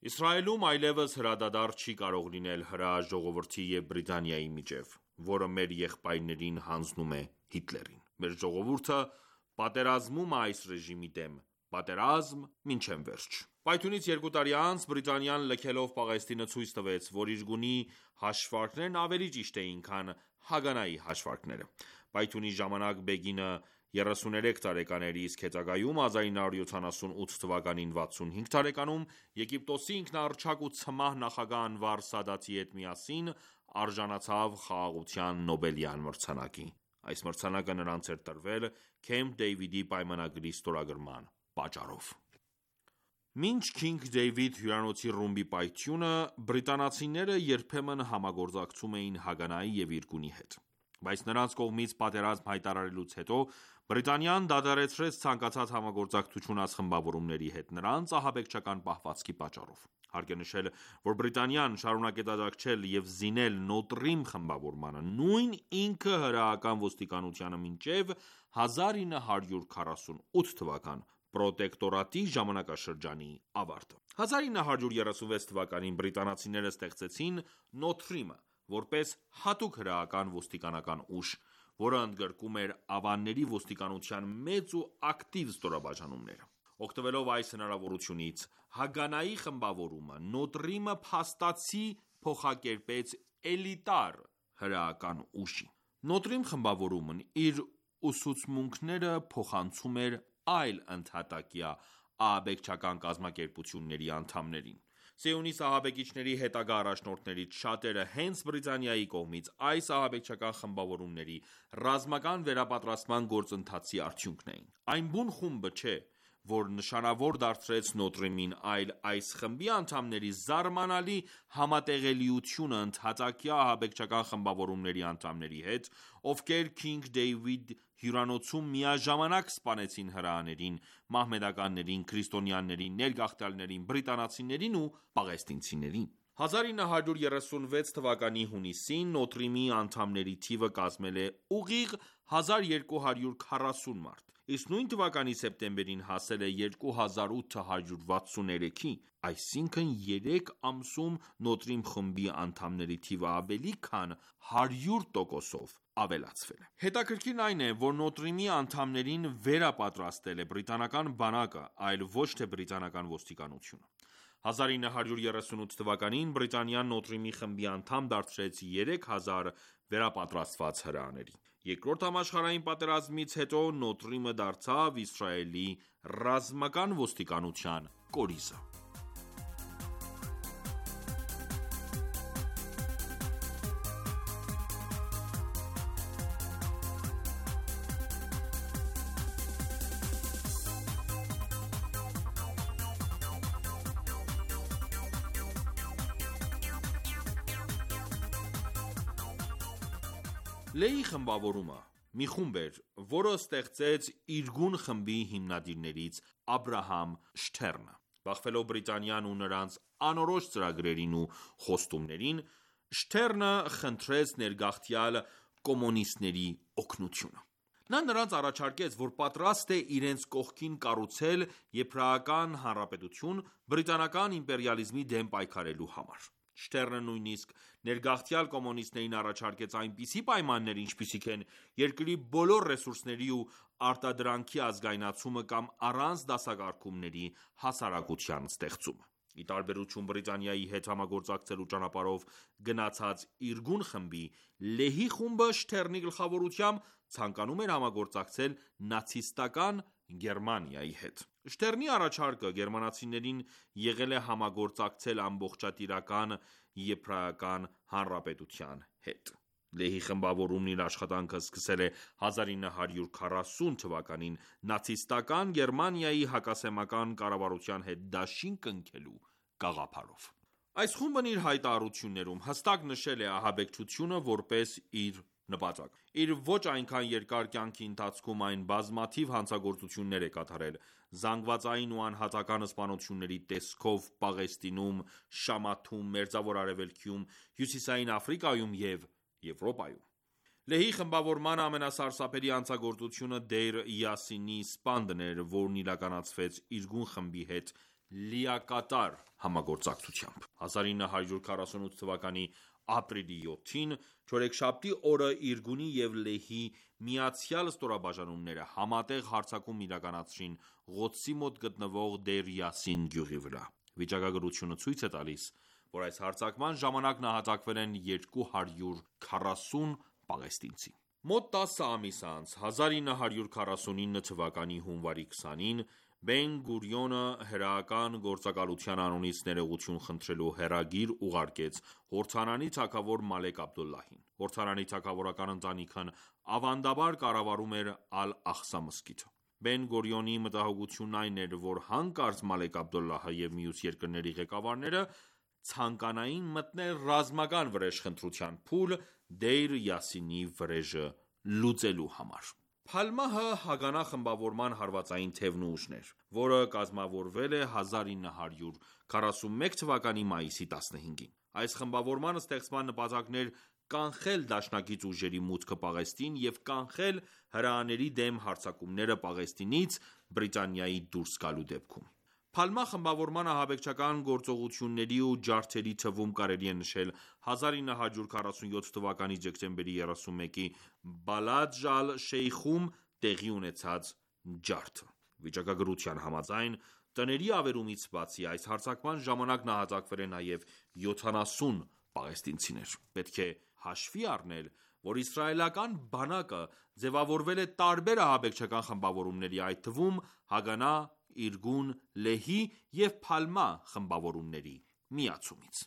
[SPEAKER 3] «Իսրայելում այլևս հրադադար չի կարող լինել հրեա ժողովրդի և Բրիտանիայի միջև, որը մեր եղբայրներին հանձնում է Հիտլերին: Մեր ժողովուրդը պատերազմում է այս ռեժիմի դեմ, պատերազմ մինչև վերջ»: Պայթյունից երկու տարի անց Բրիտանիան լքելով Պաղեստինը ցույց տվեց, որ իրգունի հաշվարկներն ավելի ճիշտ էին, քան Հագանայի հաշվարկները: Պայթյունի ժամանակ Բեգինը երեսուներեք տարեկան էր, իսկ հետագայում հազար ինը հարյուր յոթանասունութ թվականին վաթսունհինգ տարեկանում Եգիպտոսի ինքնահռչակ ու ցմահ նախագահ Անվար Սադաթի հետ միասին արժանացավ Խաղաղության Նոբելյան մրցանակի: Այս մրցանակը նրանց էր տրվել Քեմփ Դեյվիդի պայմանագրի ստորագրման պատճառով: Մինչ Քինգ Դեյվիդ հյուրանոցի ռումբի պայթյունը, բրիտանացիները երբեմն համագործակցում էին Հագանայի և իրգունի հետ: Բայց նրանց կողմից պատերազմ հայտարարելուց հետո Բրիտանիան դադարեցրեց ցանկացած համագործակցություն այս խմբավորումների հետ, նրանց ահաբեկչական պահվածքի պատճառով: Հարկ է նշել, որ Բրիտանիան շարունակեց աջակցել և զինել Նոտրիմ խմբավորմանը, նույն ինքը հրեական ոստիկանությանը մինչև հազար ինը հարյուր քառասունութ թվական պրոտեկտորատի ժամանակաշրջանի ավարտը: հազար ինը հարյուր երեսունվեց թվականին բրիտանացիները ստեղծեցին Նոթրիմը, որպես հատուկ հրեական ոստիկանական ուժ, որը ընդգրկում էր ավանների ոստիկանության մեծ ու ակտիվ ստորաբաժանումները: Օգտվելով այս հնարավորությունից, Հագանայի խմբավորումը Նոտրիմը փաստացի փոխակերպեց էլիտար հրեական ուժի: Նոտրիմ խմբավորումն իր ուսուցմունքները փոխանցում էր այլ ընդհատակյա ահաբեկչական կազմակերպությունների անդամներին: Սիոնիստ ահաբեկիչների հետագա առաջնորդներից շատերը հենց Բրիտանիայի կողմից այս ահաբեկչական խմբավորումների ռազմական վերապատրաստման գործընթացի արդյունքն էին: Այն բուն խումբը չէ, որ նշանավոր դարձրեց Նոտրիմին, այլ այս խմբի անդամների զարմանալի համատեղելիությունը ընդհատակյա ահաբեկչական խմբավորումների անդամների հետ, ովքեր Քինգ Դեյվիդ հյուրանոցում միաժամանակ սպանեցին հրեաներին, մահմեդականներին, քրիստոնյաներին, ներգաղթյալներին, բրիտանացիներին ու պաղեստինցիներին: հազար ինը հարյուր երեսունվեց թվականի հունիսին Նոտրիմի անդամների թիվը կազմել է ուղիղ հազար երկու հարյուր քառասուն մարդ, իսկ նույն թվականի սեպտեմբերին հասել է երկու հազար ութ հարյուր վաթսուներեքի: Այսինքն երեք ամսում Նոտրիմ խմբի անդամների թիվը ավելի քան հարյուր տոկոսով ավելացվել է: Հետաքրքիրն այն է, որ Նոտրիմի անդամներին վերապատրաստել է բրիտանական բանակը, այլ ոչ թե բրիտանական ոստիկանությունը: հազար ինը հարյուր երեսունութ թվականին Բրիտանիան Նոտրիմի խմբի անդամ դարձրեց երեք հազար վերապատրաստված հրեաների: Երկրորդ համաշխարհային պատերազմից հետո Նոտրիմը դարձավ Իսրայելի ռազմական ոստիկանության կորիզը: Լեհի խմբավորումը մի խումբ էր, որը ստեղծեց Իրգուն խմբի հիմնադիրներից Աբրահամ Շթերնը: Բախվելով Բրիտանիան ու նրանց անորոշ ծրագրերին ու խոստումներին, Շթերնը խնդրեց ներգաղթյալ կոմունիստների օգնությունը: Նա նրանց առաջարկեց, որ պատրաստ է իրենց կողքին կառուցել Եբրայական հանրապետություն բրիտանական իմպերիալիզմի դեմ պայքարելու համար: Շթերնը նույնիսկ ներգաղթյալ կոմունիստներին առաջարկեց այնպիսի պայմաններ, ինչպիսիք են երկրի բոլոր ռեսուրսների ու արտադրանքի ազգայնացումը կամ առանց դասակարգումների հասարակության ստեղծումը: Ի տարբերություն Բրիտանիայի հետ համագործակցելու ճանապարհով գնացած Իրգուն խմբի, Լեհի խումբը Շթեռնի գլխավորությամբ ցանկանում էր համագործակցել նացիստական Գերմանիայի հետ։ Շթեռնի առաջարկը գերմանացիներին եղել է համագործակցել ամբողջատիրական եբրայական հանրապետության հետ։ Լեհի խմբավորումն իր աշխատանքը սկսել է հազար ինը հարյուր քառասուն թվականին նացիստական Գերմանիայի հակասեմական կառավարության հետ դաշին կնքելու գաղափարով։ Այս խումբն իր հայտարարություններում հստակ նշել է ահաբեկչությունը որպես իր նպատակ։ Իր ոչ այնքան երկար կյանքի ընթացքում այն բազմաթիվ հանցագործություններ է կատարել՝ զանգվածային ու անհատական սպանությունների տեսքով Պաղեստինում, Շամաթում, Մերձավոր Արևելքում, Հյուսիսային Աֆրիկայում և Եվրոպայում։ Լեհի խմբավորման ամենասարսափելի հանցագործությունը Դեյր Յասինի սպանդն էր, որն իրականացվեց Իրգուն խմբի հետ լիակատար համագործակցությամբ։ հազար ինը հարյուր քառասունութ թվականի ապրիլի յոթին, չորեքշաբթի օրը Իրգունի և Լեհի միացյալ ստորաբաժանումները համատեղ հարձակում իրականացրին Ղոդսի մոտ գտնվող Դեյր Յասին գյուղի վրա։ Վիճակագրությունը ցույց է տալիս, որ այս հարձակման ժամանակ նահատակվել են երկու հարյուր քառասուն պաղեստինցի։ Մոտ տասը ամիս անց, հազար ինը հարյուր քառասունինը թվականի հունվարի քսանին, Բեն Գուրիոնը հրեական գործակալության անունից ներողություն խնդրելու հեռագիր ուղարկեց Հորդանանի թագավոր Մալեք Աբդոլլահին։ Հորդանանի թագավորական ընտանիքն ավանդաբար կառավարում էր Ալ-Աղսա մզկիթը։ Բեն Գուրիոնի մտահոգությունն այն էր, որ հանկարծ Մալեք Աբդոլլահը և մյուս երկրների ղեկավարները ցանկանային մտնել ռազմական վրեժխնդրության փուլ Դեյր Յասինի վրեժը լուծելու համար։ Փալմահը Հագանա խմբավորման հարվածային թևն ու ուժն էր, որը կազմավորվել է հազար ինը հարյուր քառասունմեկ թվականի մայիսի տասնհինգին։ Այս խմբավորման ստեղծման նպատակն էր կանխել դաշնակից ուժերի մուտքը Պաղեստին և կանխել հրեաների դեմ հարձակումները Պաղեստինից Բրիտանիայի դուրս գալու դեպքում։ Փալմա խմբավորման ահաբեկչական գործողությունների ու ջարդերի թվում կարելի է նշել հազար ինը հարյուր քառասունյոթ թվականի դեկտեմբերի երեսունմեկի Բալադ Ալ-Շեյխում տեղի ունեցած ջարդը։ Վիճակագրության համաձայն, տների ավերումից բացի, այս հարձակման ժամանակ նահատակվել է նաև յոթանասուն պաղեստինցիներ։ Պետք է հաշվի առնել, որ իսրայելական բանակը ձևավորվել է տարբեր ահաբեկչական խմբավորումների, այդ թվում Հագանա, Իրգուն, Լեհի և Փալմա խմբավորումների միացումից։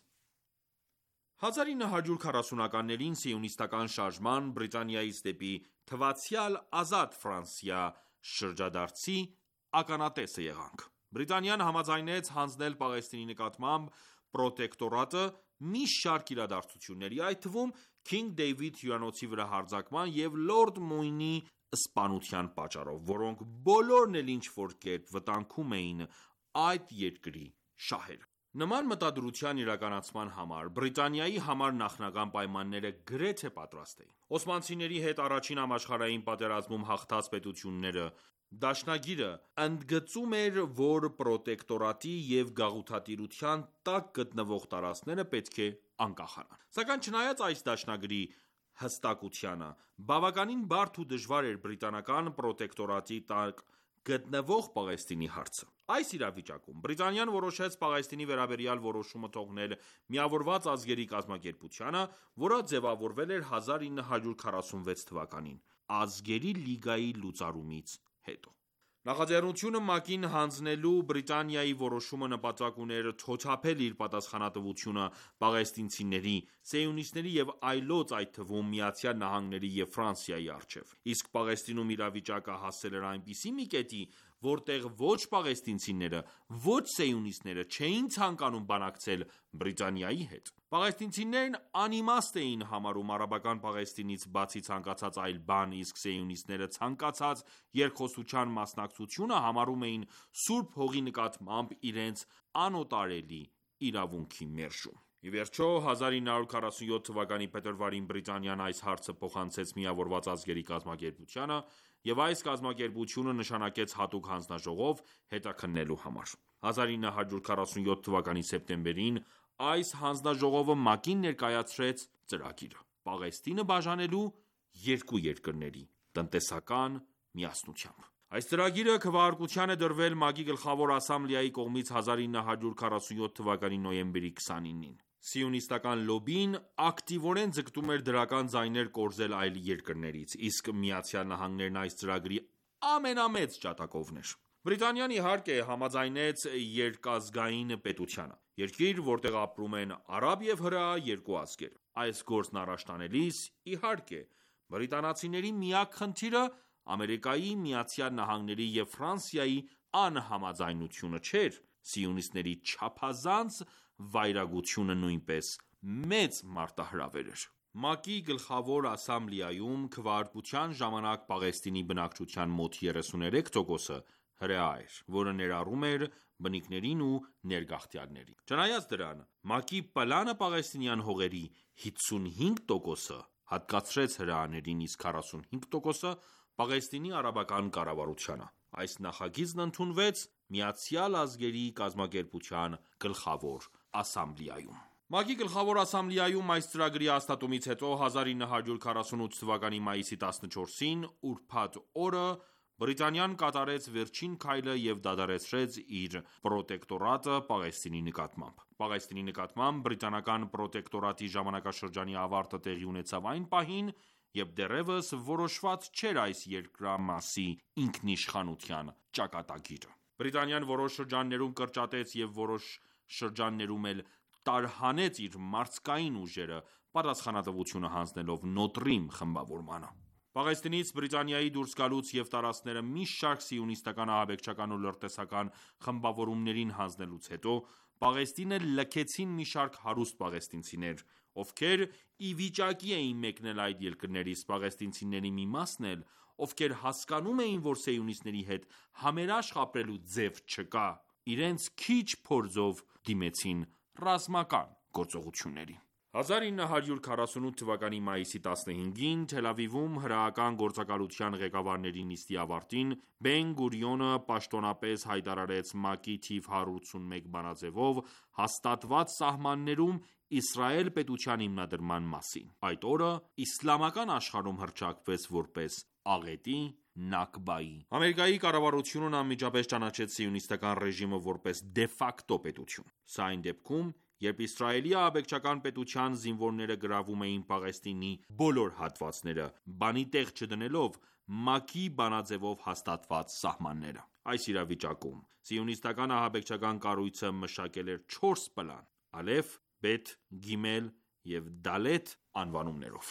[SPEAKER 3] հազար ինը հարյուր քառասունականներին սիոնիստական շարժման, Բրիտանիայից դեպի թվացյալ ազատ Ֆրանսիա շրջադարձի ականատեսը եղանք։ Բրիտանիան համաձայնեց հանձնել Պաղեստինի նկատմամբ պրոտեկտորատը մի շարք իրադարձությունների, այդ թվում Քինգ Դեյվիդ հյուրանոցի վրա հարձակման և Լորդ Մույնի սպանության պատճառով, որոնք բոլորն էլ ինչ-որ կերպ վտանգում էին այդ երկրի շահերը։ Նման մտադրության իրականացման համար Բրիտանիայի համար նախնական պայմանները գրեթե պատրաստ էին։ Օսմանցիների հետ առաջին համաշխարհային պատերազմում հաղթած պետությունները դաշնագիրը ընդգծում էր, որ պրոտեկտորատի և գաղութատիրության տակ գտնվող տարածքները պետք է անկախանան։ Սակայն չնայած այս դաշնագրի հստակությանը, բավականին բարդ ու դժվար էր բրիտանական պրոտեկտորատի տակ գտնվող Պաղեստինի հարցը։ Այս իրավիճակում Բրիտանիան որոշեց Պաղեստինի վերաբերյալ որոշումը թողնել Միավորված ազգերի կազմակերպությանը, որը ձևավորվել էր հազար ինը հարյուր քառասունվեց թվականին՝ Ազգերի լիգայի լուծարումից հետո։ Նախաձեռնությունը ՄԱԿ-ին հանձնելու Բրիտանիայի որոշումը նպատակ ուներ թոթափել իր պատասխանատվությունը պաղեստինցիների, սիոնիստների և այլոց, այդ թվում ԱՄՆ-ի և Ֆրանսիայի առջև։ Իսկ Պաղեստինում իրավիճակը հասել էր այնպիսի մի կետի, որտեղ ոչ պաղեստինցիները, ոչ սիոնիստները չէին ցանկանում բանակցել Բրիտանիայի հետ։ Պաղեստինցիներն անիմաստ էին համարում արաբական Պաղեստինից բացի ցանկացած այլ բան, իսկ սիոնիստները ցանկացած երկխոսության մասնակցությունը համարում էին Սուրբ Հողի նկատմամբ իրենց անօտարելի իրավունքի մերժում։ Ի վերջո, հազար ինը հարյուր քառասունյոթ թվականի փետրվարին Բրիտանիան այս հարցը փոխանցեց Միավորված ազգերի կազմակերպությանը, և այս կազմակերպությունը նշանակեց հատուկ հանձնաժողով՝ հետաքննելու համար։ հազար ինը հարյուր քառասունյոթ թվականի սեպտեմբերին այս հանձնաժողովը ՄԱԿ-ին ներկայացրեց ծրագիրը՝ Պաղեստինը բաժանելու երկու երկրների տնտեսական միասնությամբ։ Այս ծրագիրը քվեարկության է դրվել ՄԱԿ-ի Գլխավոր ասամբլեայի կողմից հազար ինը հարյուր քառասունյոթ թվականի նոյեմբերի քսանինին։ Սիոնիստական լոբբին ակտիվորեն ձգտում էր դրական ձայներ կորզել այլ երկրներից, իսկ ԱՄՆ-ն այս ծրագրի ամենամեծ ջատագովն էր։ Բրիտանիան իհարկե համաձայնեց երկազգային պետությանը, երկիր, որտեղ ապրում են արաբ և հրեա երկու ազգեր։ Այս գործն առաջ տանելիս, իհարկե, բրիտանացիների միակ խնդիրը Ամերիկայի Միացյալ Նահանգների և Ֆրանսիայի անհամաձայնությունը չէր, սիոնիստների չափազանց վայրագությունը նույնպես մեծ մարտահրավեր էր։ ՄԱԿ-ի Գլխավոր ասամբլեայում քվեարկության ժամանակ Պաղեստինի բնակչության մոտ երեսուներեք տոկոսը հրեա էր, որը ներառում էր բնիկներին ու ներգաղթյալներին։ Չնայած դրան, ՄԱԿ-ի պլանը պաղեստինյան հողերի հիսունհինգ տոկոսը հատկացրեց հրեաներին, իսկ քառասունհինգ տոկոսը Պաղեստինի արաբական կառավարությանը։ Այս նախագիծն ընդունվեց Միացյալ Ազգերի կազմակերպության Գլխավոր ասամբլեայում։ ՄԱԿ-ի Գլխավոր ասամբլեայում այս ծրագրի հաստատումից հետո հազար ինը հարյուր քառասունութ թվականի մայիսի տասնչորսին ուրբաթ օրը Բրիտանիան կատարեց վերջին քայլը և դադարեցրեց իր պրոտեկտորատը Պաղեստինի նկատմամբ։ Պաղեստինի նկատմամբ բրիտանական պրոտեկտորատի ժամանակաշրջանի ավարտը տեղի ունեցավ այն պահին, երբ դեռևս որոշված չէր այս երկրամասի ինքնիշխանության ճակատագիրը։ Բրիտանիան որոշ շրջաններում կրճատեց և որոշ շրջաններում էլ տարհանեց իր մարզկային ուժերը, պատասխանատվությունը հանձնելով Նոտրիմ խմբավորմանը։ Պաղեստինից Բրիտանիայի դուրս գալուց և տարածքները մի շարք սիոնիստական ահաբեկչական ու լրտեսական խմբավորումներին հանձնելուց հետո, Պաղեստինը լքեցին մի շարք հարուստ պաղեստինցիներ, ովքեր ի վիճակի էին մեկնել այդ երկրներից, պաղեստինցիների մի մասն էլ, ովքեր հասկանում էին, որ սիոնիստների հետ համերաշխ ապրելու ձև չկա, իրենց քիչ փորձով դիմեցին ռազմական գործողությունների։ հազար ինը հարյուր քառասունութ թվականի մայիսի տասնհինգին Թել Ավիվում հրեական գործակալության ղեկավարների նիստի ավարտին Բեն-Գուրիոնը պաշտոնապես հայտարարեց ՄԱԿ-ի թիվ հարյուր ութսունմեկ բանաձևով հաստատված սահմաններում Իսրայել պետության հիմնադրման մասին։ Այդ օրը իսլամական աշխարհում հռչակվեց որպես աղետի, Նաքբայի։ Ամերիկայի կառավարությունն անմիջապես ճանաչեց սիոնիստական ռեժիմը որպես դե ֆակտո պետություն։ Սա այն դեպքում, երբ Իսրայելի ահաբեկչական պետության զինվորները գրավում էին Պաղեստինի բոլոր հատվածները, բանի տեղ չդնելով ՄԱԿ-ի բանաձևով հաստատված սահմանները։ Այս իրավիճակում սիոնիստական ահաբեկչական կառույցը մշակել էր չորս պլան՝ Ալեֆ, Բեթ, Գիմել և Դալեթ անվանումներով։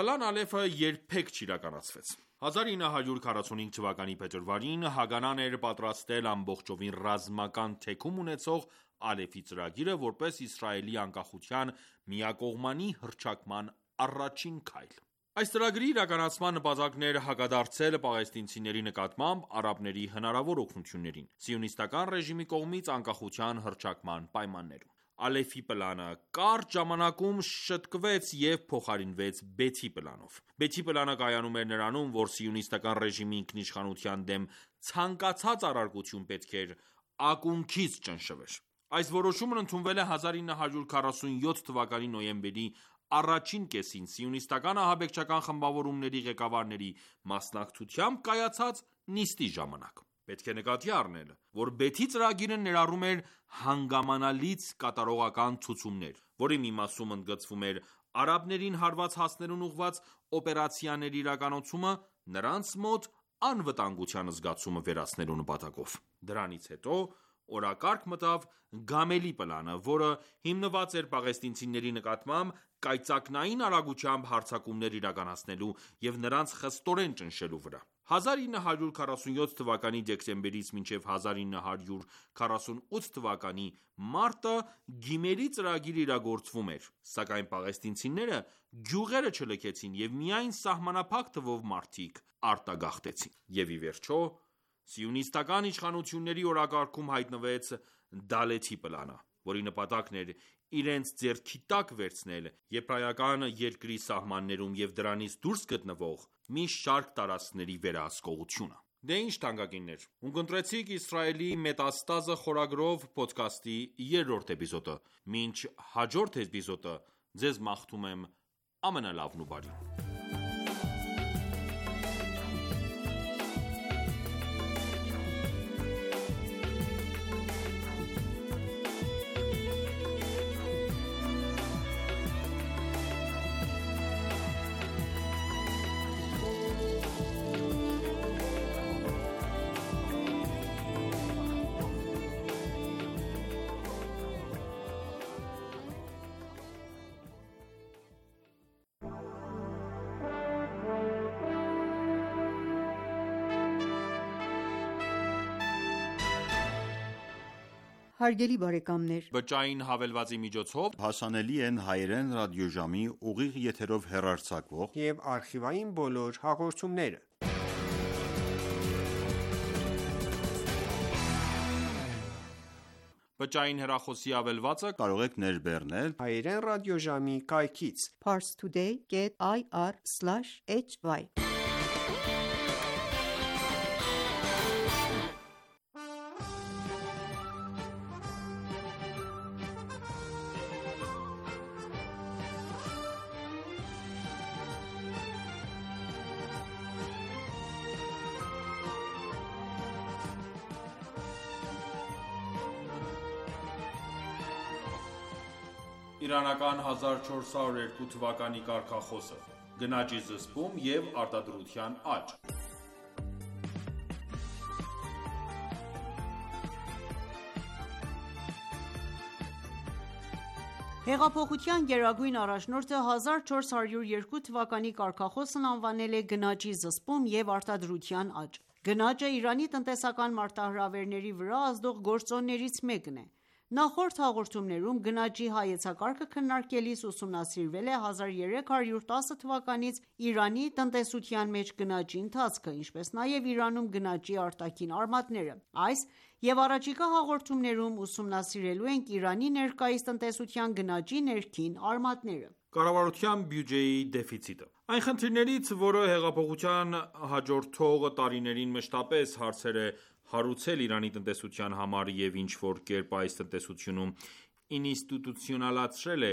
[SPEAKER 3] Պլան Ալեֆը երբեք չիրականացվեց։ հազար ինը հարյուր քառասունհինգ թվականի փետրվարին Հագանան էր պատրաստել ամբողջովին ռազմական թեքում ունեցող Ալեֆի ծրագիրը որպես Իսրայելի անկախության միակողմանի հռչակման առաջին քայլ։ Այս ծրագրի իրականացման նպատակն էր հակադարձել պաղեստինցիների նկատմամբ արաբների հնարավոր օգնություններին սիոնիստական ռեժիմի կողմից անկախության հռչակման պայմաններում։ Ալեֆի պլանը կարճ ժամանակում շտկվեց և փոխարինվեց Բեթի պլանով։ Բեթի պլանը կայանում էր նրանում, որ սիոնիստական ռեժիմի ինքնիշխանության դեմ ցանկացած առարկություն պետք էր ակունքից ճնշվեր։ Այս որոշումն ընդունվել է հազար ինը հարյուր քառասունյոթ թվականի նոյեմբերի առաջին կեսին սիոնիստական ահաբեկչական խմբավորումների ղեկավարների մասնակցությամբ կայացած նիստի ժամանակ։ Պետք է նկատի առնել, որ Բեթի ծրագիրը ներառում էր հանգամանալից կատարողական ցուցումներ, որի մի մասում ընդգծվում էր արաբներին հարված հասնելուն ուղղված օպերացիաների իրականացումը նրանց մոտ անվտանգության զգացումը վերացնելու նպատակով։ Դրանից հետո օրակարգ մտավ Գամելի պլանը, որը հիմնված էր պաղեստինցիների նկատմամբ կայծակնային արագությամբ հարձակումներ իրականացնելու և նրանց խստորեն ճնշելու վրա։ հազար ինը հարյուր քառասունյոթ թվականի դեկտեմբերից մինչև հազար ինը հարյուր քառասունութ թվականի մարտը Գիմելի ծրագիրը իրագործվում էր, սակայն պաղեստինցիները գյուղերը չլքեցին և միայն սահմանափակ թվով մարդիկ արտագաղթեցին։ Եվ ի վերջո սիոնիստական իշխանությունների օրակարգում հայտնվեց Դալեթի պլանը, որի նպատակն էր իրենց ձեռքի տակ վերցնել եբրայական երկրի սահմաններում և դրանից դուրս գտնվող մի շարք տարածքների վերահսկողությունը։ Դե ինչ թանկագիններ, ունկնդրեցիք Իսրայելի մետաստազը խորագրով փոդքասթի երրորդ էպիզոդը։ Մինչ հաջորդ էպիզոդը ձեզ մաղթում եմ ամենալավն ու բարին։
[SPEAKER 2] Հարգելի բարեկամներ,
[SPEAKER 3] Բջջային հավելվածի միջոցով
[SPEAKER 4] հասանելի են հայերեն ռադիոժամի ուղիղ եթերով հեռարձակվող
[SPEAKER 5] և արխիվային բոլոր հաղորդումները։
[SPEAKER 3] Բջջային հեռախոսի հավելվածը
[SPEAKER 4] կարող եք ներբեռնել
[SPEAKER 5] հայերեն ռադիոժամի կայքից
[SPEAKER 2] parstoday dot i r slash h y
[SPEAKER 3] Իրանական հազար չորս հարյուր երկու թվականի կարգախոսը գնաճի զսպում և արտադրության աճ։
[SPEAKER 2] Հեղափոխության գերագույն առաջնորդը հազար չորս հարյուր երկու թվականի կարգախոսն անվանել է գնաճի զսպում և արտադրության աճ։ Գնաճը Իրանի տնտեսական մարտահրավերների վրա ազդող գործոններից մեկն է։ Նախորդ հաղորդումներում գնաճի հայեցակարգը քննարկելիս ուսումնասիրվել է հազար երեք հարյուր տասը թվականից Իրանի տնտեսության մեջ գնաճի ընթացքը, ինչպես նաև Իրանում գնաճի արտաքին արմատները։ Այս և առաջիկա հաղորդումներում ուսումնասիրելու ենք Իրանի ներկայիս տնտեսության գնաճի ներքին արմատները։
[SPEAKER 3] Կառավարության բյուջեի դեֆիցիտը Այն խնդիրներից, որը հեղափոխության հաջորդող տարիներին մշտապես հարցեր է հարուցել Իրանի տնտեսության համար և ինչ-որ կերպ այս տնտեսությունում ինստիտուցիոնալացրել է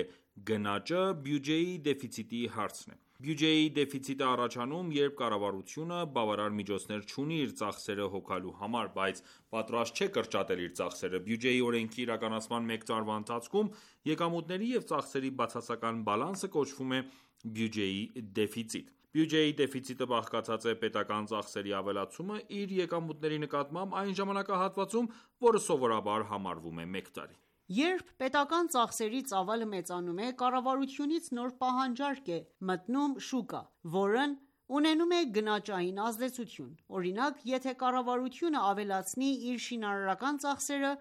[SPEAKER 3] գնաճը, բյուջեի դեֆիցիտի հարցն է։ Բյուջեի դեֆիցիտը առաջանում, երբ կառավարությունը բավարար միջոցներ չունի իր ծախսերը հոգալու համար, բայց պատրաստ չէ կրճատել իր ծախսերը։ Բյուջեի օրենքի իրականացման մեկ տարվա ընթացքում եկամուտների և ծախսերի բացասական բալանսը կոչվում է բյուջեի դեֆիցիտ։ Բյուջեի դեֆիցիտը բաղկացած է պետական ծախսերի ավելացումը իր եկամուտների նկատմամբ այն ժամանակահատվածում, որը սովորաբար համարվում է մեկ տարի։
[SPEAKER 2] Երբ պետական ծախսերի ծավալը մեծանում է, կառավարությունից նոր պահանջարկ է մտնում շուկա, որն ունենում է գնաճային ազդեցություն։ Օրինակ, եթե կառավարությունը ավելացնի իր շինարարական ծախսերը,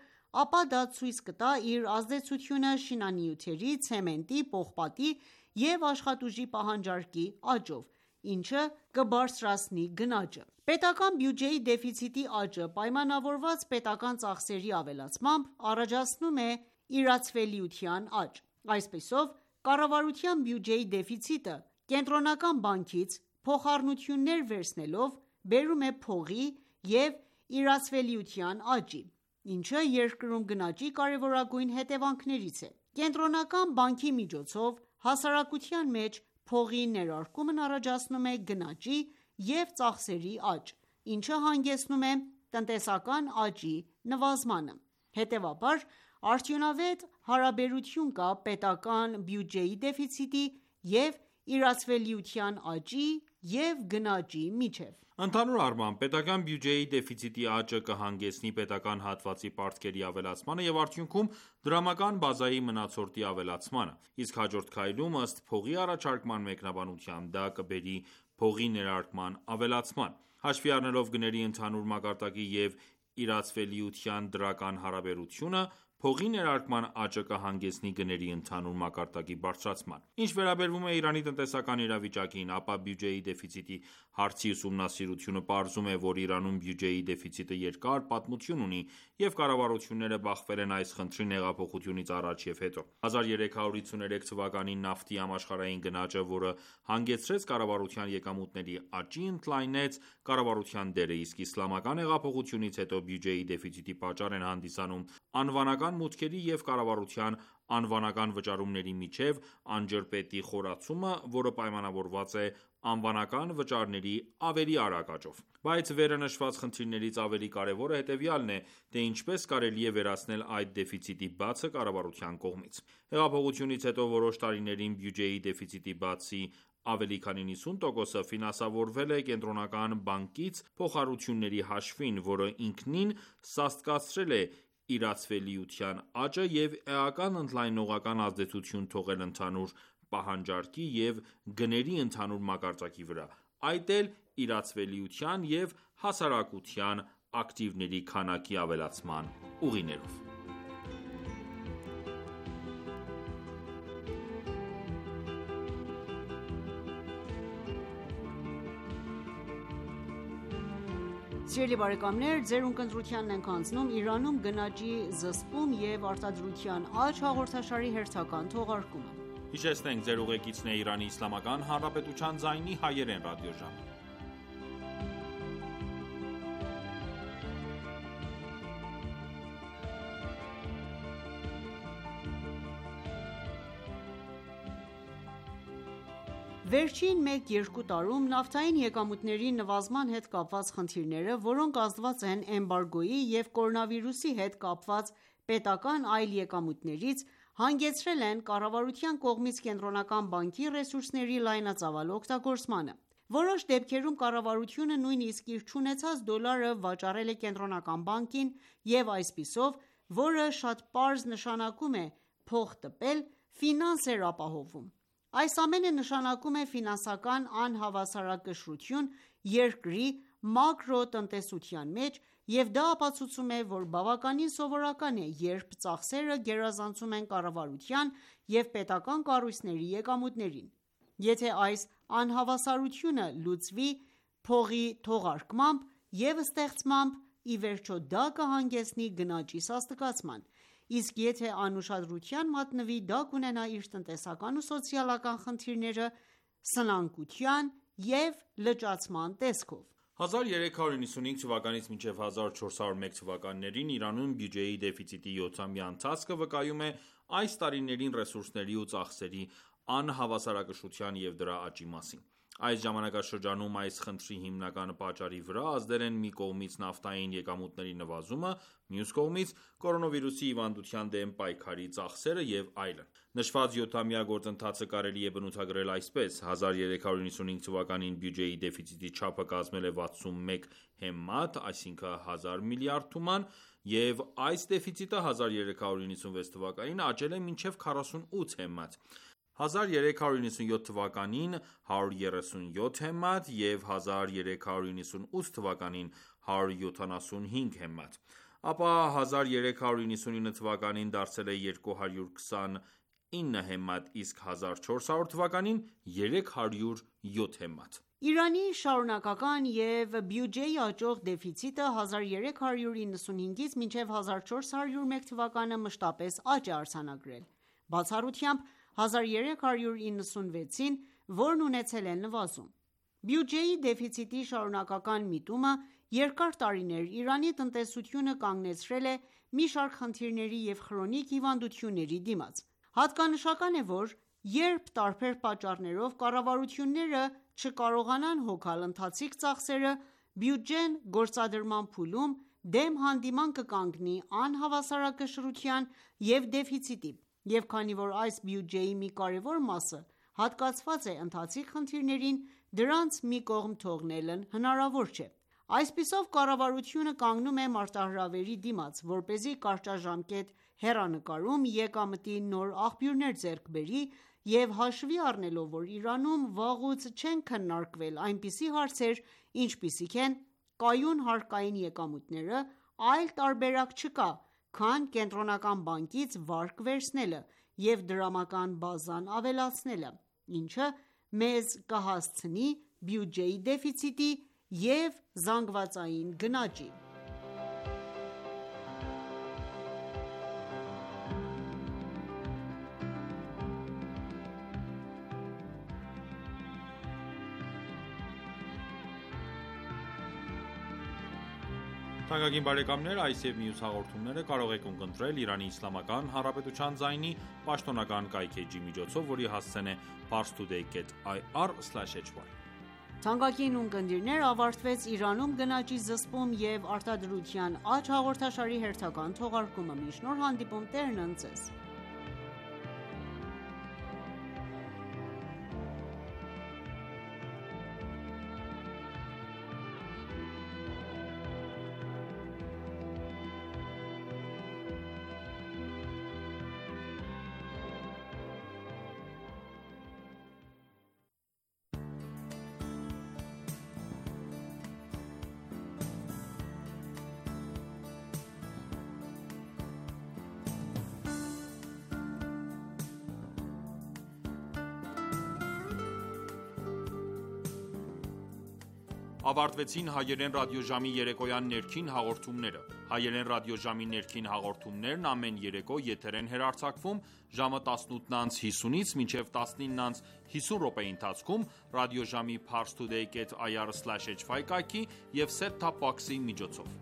[SPEAKER 2] ապա դա ցույց կտա իր ազդեցությունը շինանյութերի, ցեմենտի, պողպատի և աշխատուժի պահանջարկի աճով, ինչը կբարձրացնի գնաճը։ Պետական բյուջեի դեֆիցիտի աճը, պայմանավորված պետական ծախսերի ավելացմամբ, առաջացնում է իրացվելիության աճ։ Այսպիսով, կառավարության բյուջեի դեֆիցիտը կենտրոնական բանկից փոխառնություններ վերցնելով բերում է փողի և իրացվելիության աճի, ինչը երկրում գնաճի կարևորագույն հետևանքներից է։ Կենտրոնական բանկի միջոցով հասարակության մեջ փողի ներարկումն առաջացնում է գնաճի և ծախսերի աճ, ինչը հանգեցնում է տնտեսական աճի նվազմանը։ Հետևաբար, արդյունավետ հարաբերություն կա պետական բյուջեի դեֆիցիտի և իրացվելիության աճի և գնաճի միջև։
[SPEAKER 3] Ընդհանուր առմամբ, պետական բյուջեի դեֆիցիտի աճը կհանգեցնի պետական հատվածի պարտքերի ավելացմանը և արդյունքում դրամական բազայի մնացորդի ավելացմանը, իսկ հաջորդ քայլում, ըստ փողի առաջարկման մեկնաբանության, դա կբերի փողի ներարկման ավելացման։ Հաշվի առնելով գների ընդհանուր մակարդակի և իրացվելիության դրական հարաբերությունը, փողի ներարկման աճը կհանգեցնի գների ընդհանուր մակարդակի բարձրացման։ Ինչ վերաբերում է Իրանի տնտեսական իրավիճակին, ապա բյուջեի դեֆիցիտի հարցի ուսումնասիրությունը պարզում է, որ Իրանում բյուջեի դեֆիցիտը երկար պատմություն ունի և կառավարությունները բախվել են այս խնդրին հեղափոխությունից առաջ և հետո։ հազար երեք հարյուր հիսուներեք թվականին նավթի համաշխարհային գնաճը, որը հանգեցրեց կառավարության եկամուտների աճի, ընդլայնեց կառավարության դերը, իսկ իսլամական հեղափոխությունից հետո բյուջեի դեֆիցիտի պատճառ են հանդիսանում անվանական մուտքերի և կառավարության անվանական վճարումների միջև անջրպետի խորացումը, որը պայմանավորված է անվանական վճարների ավելի արագ աճով։ Բայց վերը նշված խնդիրներից ավելի կարևորը հետևյալն է, թե ինչպես կարելի է վերացնել այդ դեֆիցիտի բացը կառավարության կողմից։ Հեղափոխությունից հետո որոշ տարիներին բյուջեի դեֆիցիտի բացի ավելի քան նվաթ տոկոսը ֆինանսավորվել է կենտրոնական բանկից փոխառությունների հաշվին, որը ինքնին սաստկացրել է իրացվելիության աճը և էական ընդլայնողական ազդեցություն թողել ընդհանուր պահանջարկի և գների ընդհանուր մակարդակի վրա, այդ էլ իրացվելիության և հասարակության ակտիվների քանակի ավելացման ուղիներով։
[SPEAKER 2] Սիրելի բարեկամներ, ձեր ունկնդրությանն ենք անցնում «Իրանում գնաճի զսպում և արտադրության աճ» հաղորդաշարի հերթական թողարկումը:
[SPEAKER 3] Հիշեցնենք ձեր ուղեկիցն է Իրանի Իսլամական Հանրապետության ձայնի հայերեն ռադիոժամը:
[SPEAKER 2] Վերջին մեկ-երկու տարում նավթային եկամուտների նվազման հետ կապված խնդիրները, որոնք ազդված են էմբարգոյի և կորոնավիրուսի հետ կապված պետական այլ եկամուտներից, հանգեցրել են կառավարության կողմից Կենտրոնական բանկի ռեսուրսների լայնածավալ օգտագործմանը: Որոշ դեպքերում կառավարությունը նույնիսկ իր չունեցած դոլարը վաճառել է Կենտրոնական բանկին և այսպիսով, որը շատ պարզ նշանակում է փող տպել, ֆինանս էր ապահովում: Այս ամենը նշանակում է ֆինանսական անհավասարակշռություն երկրի մակրոտնտեսության մեջ և դա ապացուցում է, որ բավականին սովորական է, երբ ծախսերը գերազանցում են կառավարության և պետական կառույցների եկամուտներին: Եթե այս անհավասարությունը լուծվի փողի թողարկմամբ և ստեղծմամբ, ի վերջո դա կհանգեցնի գնաճի սաստկացման, իսկ եթե անուշադրության մատնվի, դա կունենա իր տնտեսական ու սոցիալական խնդիրները սնանկության և լճացման տեսքով:
[SPEAKER 3] հազար երեք հարյուր նվաթյուն թվականից մինչև հազար չորս հարյուր մեկ թվականներին Իրանում բյուջեի դեֆիցիտի յոթամյա ընթացքը վկայում է այս տարիներին ռեսուրսների ու ծախսերի անհավասարակշռության և դրա աճի մասին: Այս ժամանակաշրջանում այս խնդրի հիմնական պատճառի վրա ազդել են մի կողմից նավթային եկամուտների նվազումը, մյուս կողմից կորոնավիրուսի հիվանդության դեմ պայքարի ծախսերը և այլն: Նշված յոթամյա գործընթացը կարելի է բնութագրել այսպես. հազար երեք հարյուր նվաթյուն թվականին բյուջեի դեֆիցիտի չափը կազմել է վաթսունմեկ հեմմատ, այսինքն հազար միլիարդ թուման, և այս դեֆիցիտը հազար երեք հարյուր նվաթյուն թվականին աճել է մինչև քառասունութ հեմմատ, հազար երեք հարյուր նվաթյուն թվականին հարյուր երեսունյոթ հեմմատ և հազար երեք հարյուր նվաթյուն ութ թվականին հարյուր յոթանասունհինգ հեմմատ, ապա հազար երեք հարյուր նվաթյուն թվականին դարձել է երկու հարյուր քսանինը հեմմատ, իսկ հազար չորս հարյուր թվականին երեք հարյուր յոթ հեմմատ:
[SPEAKER 2] Իրանի շարունակական և բյուջեի աճող դեֆիցիտը հազար երեք հարյուր նվաթյունից մինչև հազար չորս հարյուր մեկ թվականը մշտապես աճ է արձանագրել, բացառությամբ հազար երեք հարյուր նվաթյունին, որն ունեցել է նվազում: Բյուջեի դեֆիցիտի շարունակական միտումը երկար տարիներ Իրանի տնտեսությունը կանգնեցրել է մի շարք խնդիրների և խրոնիկ հիվանդությունների դիմաց: Հատկանշական է, որ երբ տարբեր պատճառներով կառավարությունները չկարողանան հոգալ ընթացիկ ծախսերը, բյուջեն գործադրման փուլում դեմ հանդիման կկանգնի անհավասարակշռության և դեֆիցիտի, և քանի որ այս բյուջեի մի կարևոր մասը հատկացված է ընթացիկ խնդիրներին, դրանց մի կողմ թողնելն հնարավոր չէ: Այսպիսով կառավարությունը կանգնում է մարտահրավերի դիմաց, որպեսզի կարճաժամկետ հեռանկարում եկամտի նոր աղբյուրներ ձեռք բերի և հաշվի առնելով, որ Իրանում վաղուց չեն քննարկվել այնպիսի հարցեր, ինչպիսիք են կայուն հարկային եկամուտները, այլ տարբերակ չկա, քան Կենտրոնական բանկից վարկ վերցնելը և դրամական բազան ավելացնելը, ինչը մեզ կհասցնի բյուջեի դեֆիցիտի և զանգվածային գնաճի:
[SPEAKER 3] Այս և մյուս հաղորդումները կարող եք ունկնդրել Իրանի Իսլամական Հանրապետության ձայնի պաշտոնական կայքէջի միջոցով, որի հասցեն է parstoday dot ir slash hy:
[SPEAKER 2] Թանկագին ունկնդիրներ, ավարտվեց «Իրանում գնաճի զսպում և արտադրության աճ» հաղորդաշարի հերթական թողարկումը: Մինչ նոր հանդիպում, Տերն ընդ Ձեզ:
[SPEAKER 3] ավարտվեցին հայերեն ռադիոժամի երեկոյան ներքին հաղորդումները։ Հայերեն ռադիոժամի ներքին հաղորդումներն ամեն երեկո եթեր են հեռարձակվում ժամը տասնութ անց հիսունից մինչև տասնինը անց հիսուն րոպեի ընթացքում ռադիոժամի parstoday dot i r slash h five կայքի և set-top box-ի միջոցով։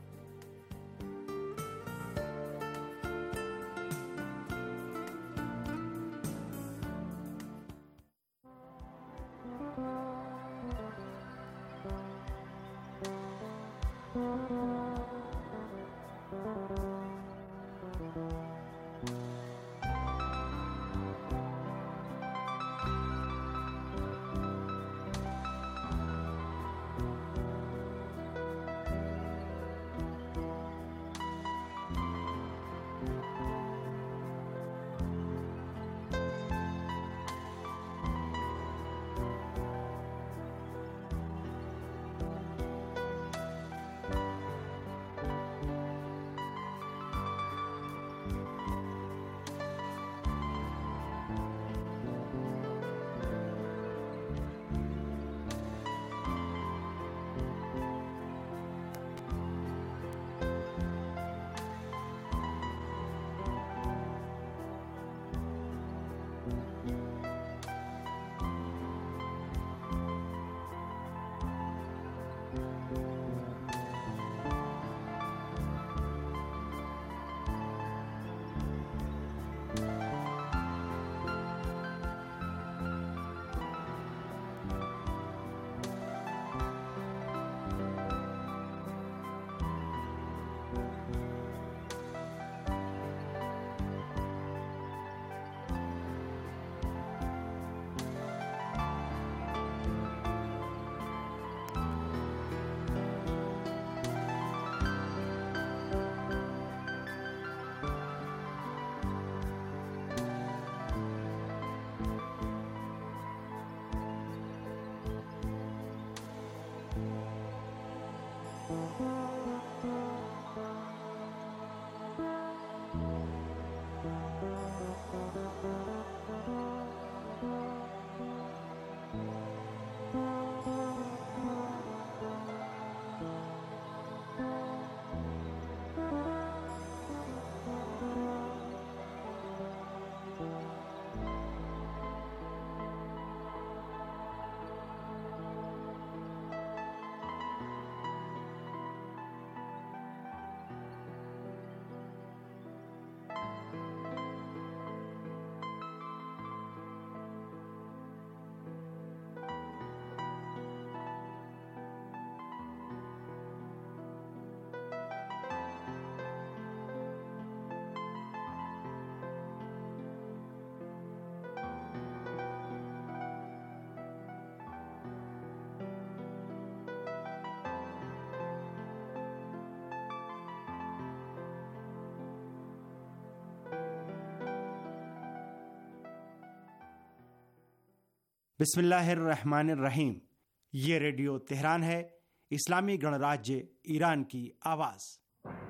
[SPEAKER 6] बिस्मिल्लाहिर्रहमानिर्रहीम। ये radio Tehran है, इस्लामी गणराज्य ईरान की आवाज़।